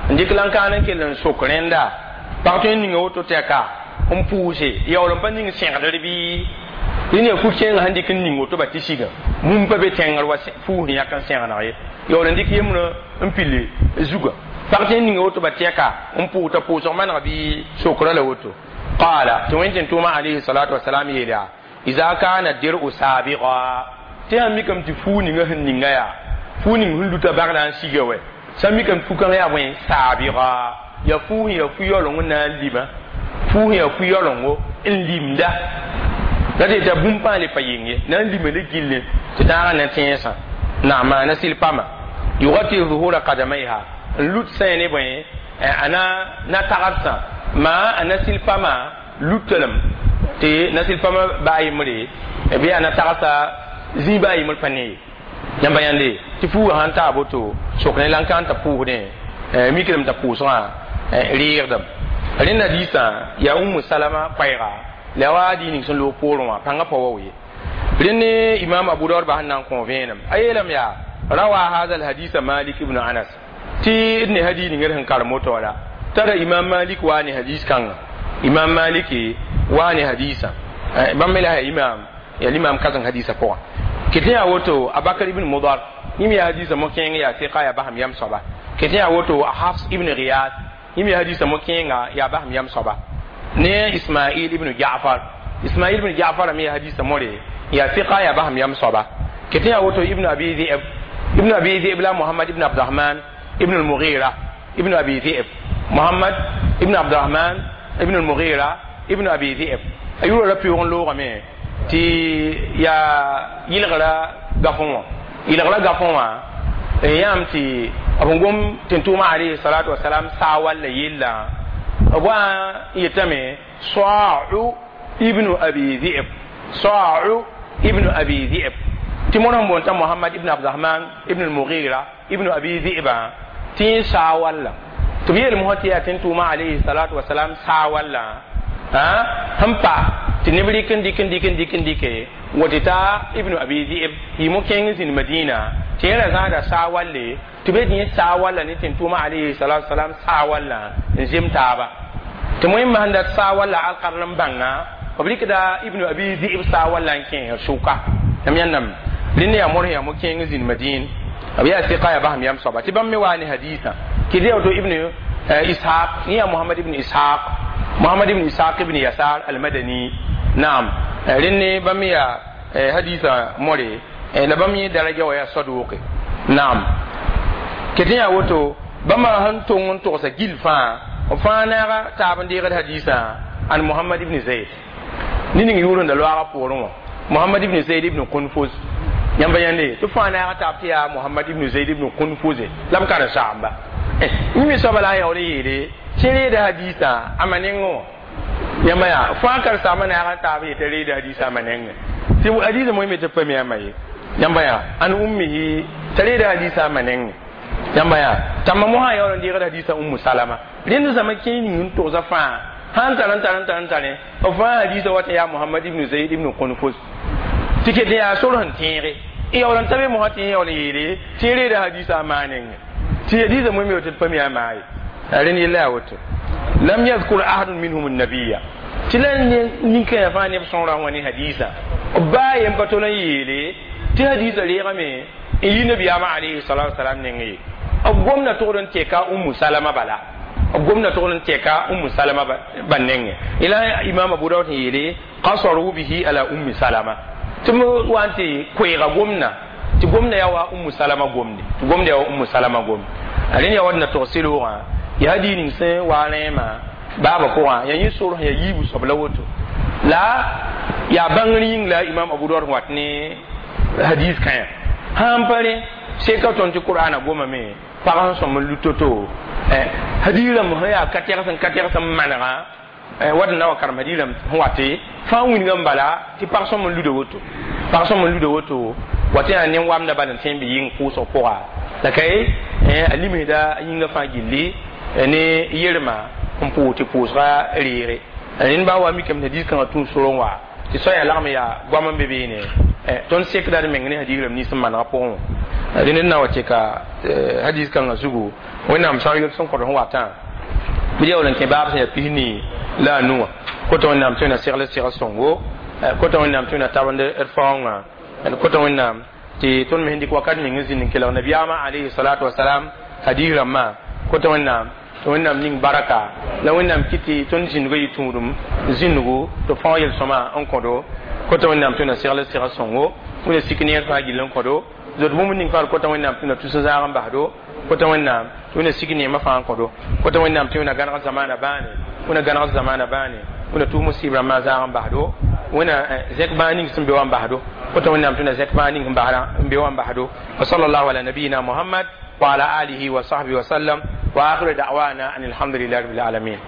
n dɩk la n kaan n kell n sok rẽnda pag tõe n ninga woto tɛka n pʋʋse yaool n pa ning sẽgdr bɩ rẽnd yaa fu-kẽengã sẽn dɩk n ning woto ba tɩ siga bũmb pa be tẽngr wa fuus yãk n sẽgeneg ye yaool n dɩk yembrã n pille zugã pag tõe n ninga woto ba tɛka n pʋʋs t'a pʋʋsg maneg bɩ sokra la woto qala tɩ wẽn tɩ tʋʋma alayhi salatu wasalam yeel yaa iza kana dir'u sabiqa tɩ sãn mikame tɩ fuu ninga sẽn ninga yaa fuu ning sẽn luta bagdã n siga wɛ sãn mikame fu-kãng yaa bõe saabiga yaa fuus yaa fu-yaooleng n na n lima fuus yaa fu-yaolengo n limda la tɩ yeta bũmb pãa le pa yeng ye na n lima ne gilli tɩ tãagã na tẽensã naam na sɩl pama yugati zuhura kadamaiha n lut sã ne bõe a na tagsã maa a na sɩl pama lutalem tɩ na sɩl pama baa yembre bɩ a na tagsa zĩig baa yembr pa ne ye yãmba yãnde tɩ fuugã sãn taa boto sok ne la n ka n t'a pʋʋsdẽ mikdame t'a pʋʋsgã reegdame rẽnda diisã yaa Ummu Salama koɛɛga la wa dii ning sẽn loog poorẽ wã pãngã pa wa ye rẽnd ne imam Abu Daud bas n na n kõ vẽenem a yeelame yaa rawa hadha alhadisa Malik ibn Anas tɩ d ne hadis ning d sẽn karem woto wala tara imam Malik waa ne hadis kãnga imam Malik waa ne hadisã bãmb me la ya imam ya limam kazeng hadisã pʋgã ket yaa woto Abakar ibn Mudar yẽm yaa hadisã mo-kẽeng yaa sɩka yaa basem yam soaba ket yaa woto Hafs ibn Riyad yẽm yaa hadisã mo-kẽenga yaa basem yam soaba ne Ismail ibn Ja'far Ismail ibn Ja'far me yaa hadisã more yaa sɩka yaa basem yam soaba ket yaa woto Ibn Abi Dhi'b Ibn Abi Dhi'b la Muhammad ibn Abdurrahman ibn al-Mughira ibn Abi Dhi'b Muhammad ibn Abdurrahman ibn al-Mughira ibn Abi Dhi'b a yʋra ra pɩʋg n loogame tɩ yaa yɩlgra gafõ wã yɩlgra gafõ wã n yãam tɩ b n gom tɩ n tʋʋma alayhi salatu wasalam saa walla yella b wa n yetame Sa'u ibn Abi Dhi'b Sa'u ibn Abi Dhi'b tɩ mõr sẽn boond t'a Muhammad ibn Abdurrahman ibn al-Mughira ibn Abi Dhi'ba tɩ yẽ saa walla tɩ b yeel mosã tɩ yaa tɩ n tʋʋma alayhi salatu wasalam saa walla sẽn pa tɩ neb rɩk n dɩk n dɩk n dɩk n dɩke wa tɩ ta Ibn Abi Dhi'b yɩ mo-kẽeng zĩnd Madina tɩ yẽ ra zãada saa walle tɩ be yẽ saa walla ne tɩ n tʋʋma alayhi salatu wasalam saa walla n zem taaba tɩ moẽ masẽn dat saa walla alkarl n bãnga b rɩkda Ibn Abi Dhi'b saa walla n kẽes sʋka yãmb yãndame rẽnd yaa mor yaa mo-kẽeng zĩnd Madin b yaa sɩka yaa basem yam soaba tɩ bãmb me waa ne hadisã kɩ tɩ yaa Ibn Ishaq yẽ yaa Muhammad ibn Ishaq Muhammad ibn Ishaq ibn Yasar al-Madani naam rẽnd ne bãmb yaa hadisã more la bãmb yẽ daraja wa yaa saduqe naam ket yaa woto bãmba sẽn tong n togsa gil fãa b fãa naaga taab n deegd hadisã an Muhammad ibn Zayd ne ning yʋʋr n da loaga poorẽ wã Muhammad ibn Zayd ibn Qunfuz yãmba yãnde tɩ fãa naaga taab tɩ yaa Muhammad ibn Zayd ibn Qunfuz la b karen-saamba yĩme soaba la a yaool n yeele tɩ reeda hadisã a ma nengẽ wã yãmba yaa fãa karen-saambã naaga taab yetɩ reeda hadisã a ma nengẽ tɩ hadisã moẽ me tɩ pa mi a ma ye yãmba yaa an ummihi t'a reeda hadisã a ma nengẽ yãmba yaa tãmba mosã yaool n deegd hadisã Ummu Salama rẽnd zãma kẽe ning n togsa fãa sãn tar n tar n tar n tare b fãa hadisã wat n yaa Muhammad ibn Zayd ibn Qunfuz tɩ ket yaa sor sẽn tẽege n yaool n ta be mosã tɩ yẽ yaool n yeele tɩ reeda hadisã a maa nengẽ tɩ hadisã moẽ me tɩ d pa mi a maa ye rẽnd yella yaa woto lam yadhkur ahadun minhum an-nabiyya tɩ la nin-kãensã fãa neb sõora wã ne hadisã b baa yen pa tol n yeele tɩ hadisã reegame n yi nabiyaamã alayhi salatu wasalam neng ye b gomda togd n tɛka Ummu Salama bala b gomda togd n tɛka Ummu Salama ba nengẽ ila imam Abu Dawud n yeele qasaru bihi ala Ummi Salama tɩ m wa n tɩ koeega gomda tɩ gomda yaa wa Ummu Salama gomde tɩ gomda yaa wa Ummu Salama gomde rẽnd yaa wa d na tog sɩloogã yaa hadiis ning sẽn wa rẽema baaba pʋgã yaa yẽ sor yaa yiibu soab la woto la yaa bãngr yĩng la imam Abu Dawud wat ne hadis kãyã sãn pa rẽ seka tõnd tɩ Qur'ana gomame pag sẽn sõm n lut to-to hadis rãmb sẽn yaa ka tɛgs n ka tɛgs n manega wat n na wa karem hadis rãmb sẽn wate fãa wilga n bala tɩ pag sõm n luda woto pag sõm n luda woto wa tɩ yaa nen-wamda bal n tõe n bɩ yɩng pʋʋsg pʋga la ka ye a limsda a yĩngã fãa gilli Ne yirma n pʋʋs tɩ pʋʋsga reege. Rẽnd baa wa mikame tɩ hadiis kãngã tũ sorẽ wa tɩ soaya lagm yaa goam n be beene. Tõnd sekda d meng ne hadiis rãmb nins n manegã pʋgẽ wã. Rẽnd n na wa tɩka hadiis kãngã zugu, Wẽnnaam sã n yol sẽn kõd sẽn watã bɩ yaool n kẽ baab sẽn yaa 25 wã. Kota Wẽnnaam tɩ wẽna segl segl sõngo, kota Wẽnnaam tɩ wẽna tabend d faoongã, kota Wẽnnaam tɩ tõnd me sẽn dɩk wakat ning n zĩnd n kelg nabiyaamã alayhi salatu wasalam hadiis rãmbã. Kota Wẽnnaam tɩ Wẽnnaam ning baraka la Wẽnnaam kɩt tɩ tõnd zĩndgã yɩ tũudum zĩndgu tɩ fãoog yel-sõma n kõdo. Kota Wẽnnaam tɩ wẽna segl segl sõngo, wẽna sik neer fãa gill n kõdo, zot bũmb ning fãa. Kota Wẽnnaam tɩ wẽna tus n zãag n basdo. Kota Wẽnnaam tɩ wẽna sik neemã fãa n kõdo. Kota Wẽnnaam tɩ wẽna gãneg zamaana bãane, wẽna gãneg zamaana bãane, wẽna tus musib rãmbã zãag n basdo, wẽna zẽk bãag ning sẽn be wã n basdo. Kota Wẽnnaam tɩ wẽna zẽk bãag ning n be wã n basdo. Wa sallallahu ala nabiyina Muhammad wa ala alihi wa sahbihi wa sallam wa akhiru da'wana an alhamdulillahi rabbil alamin.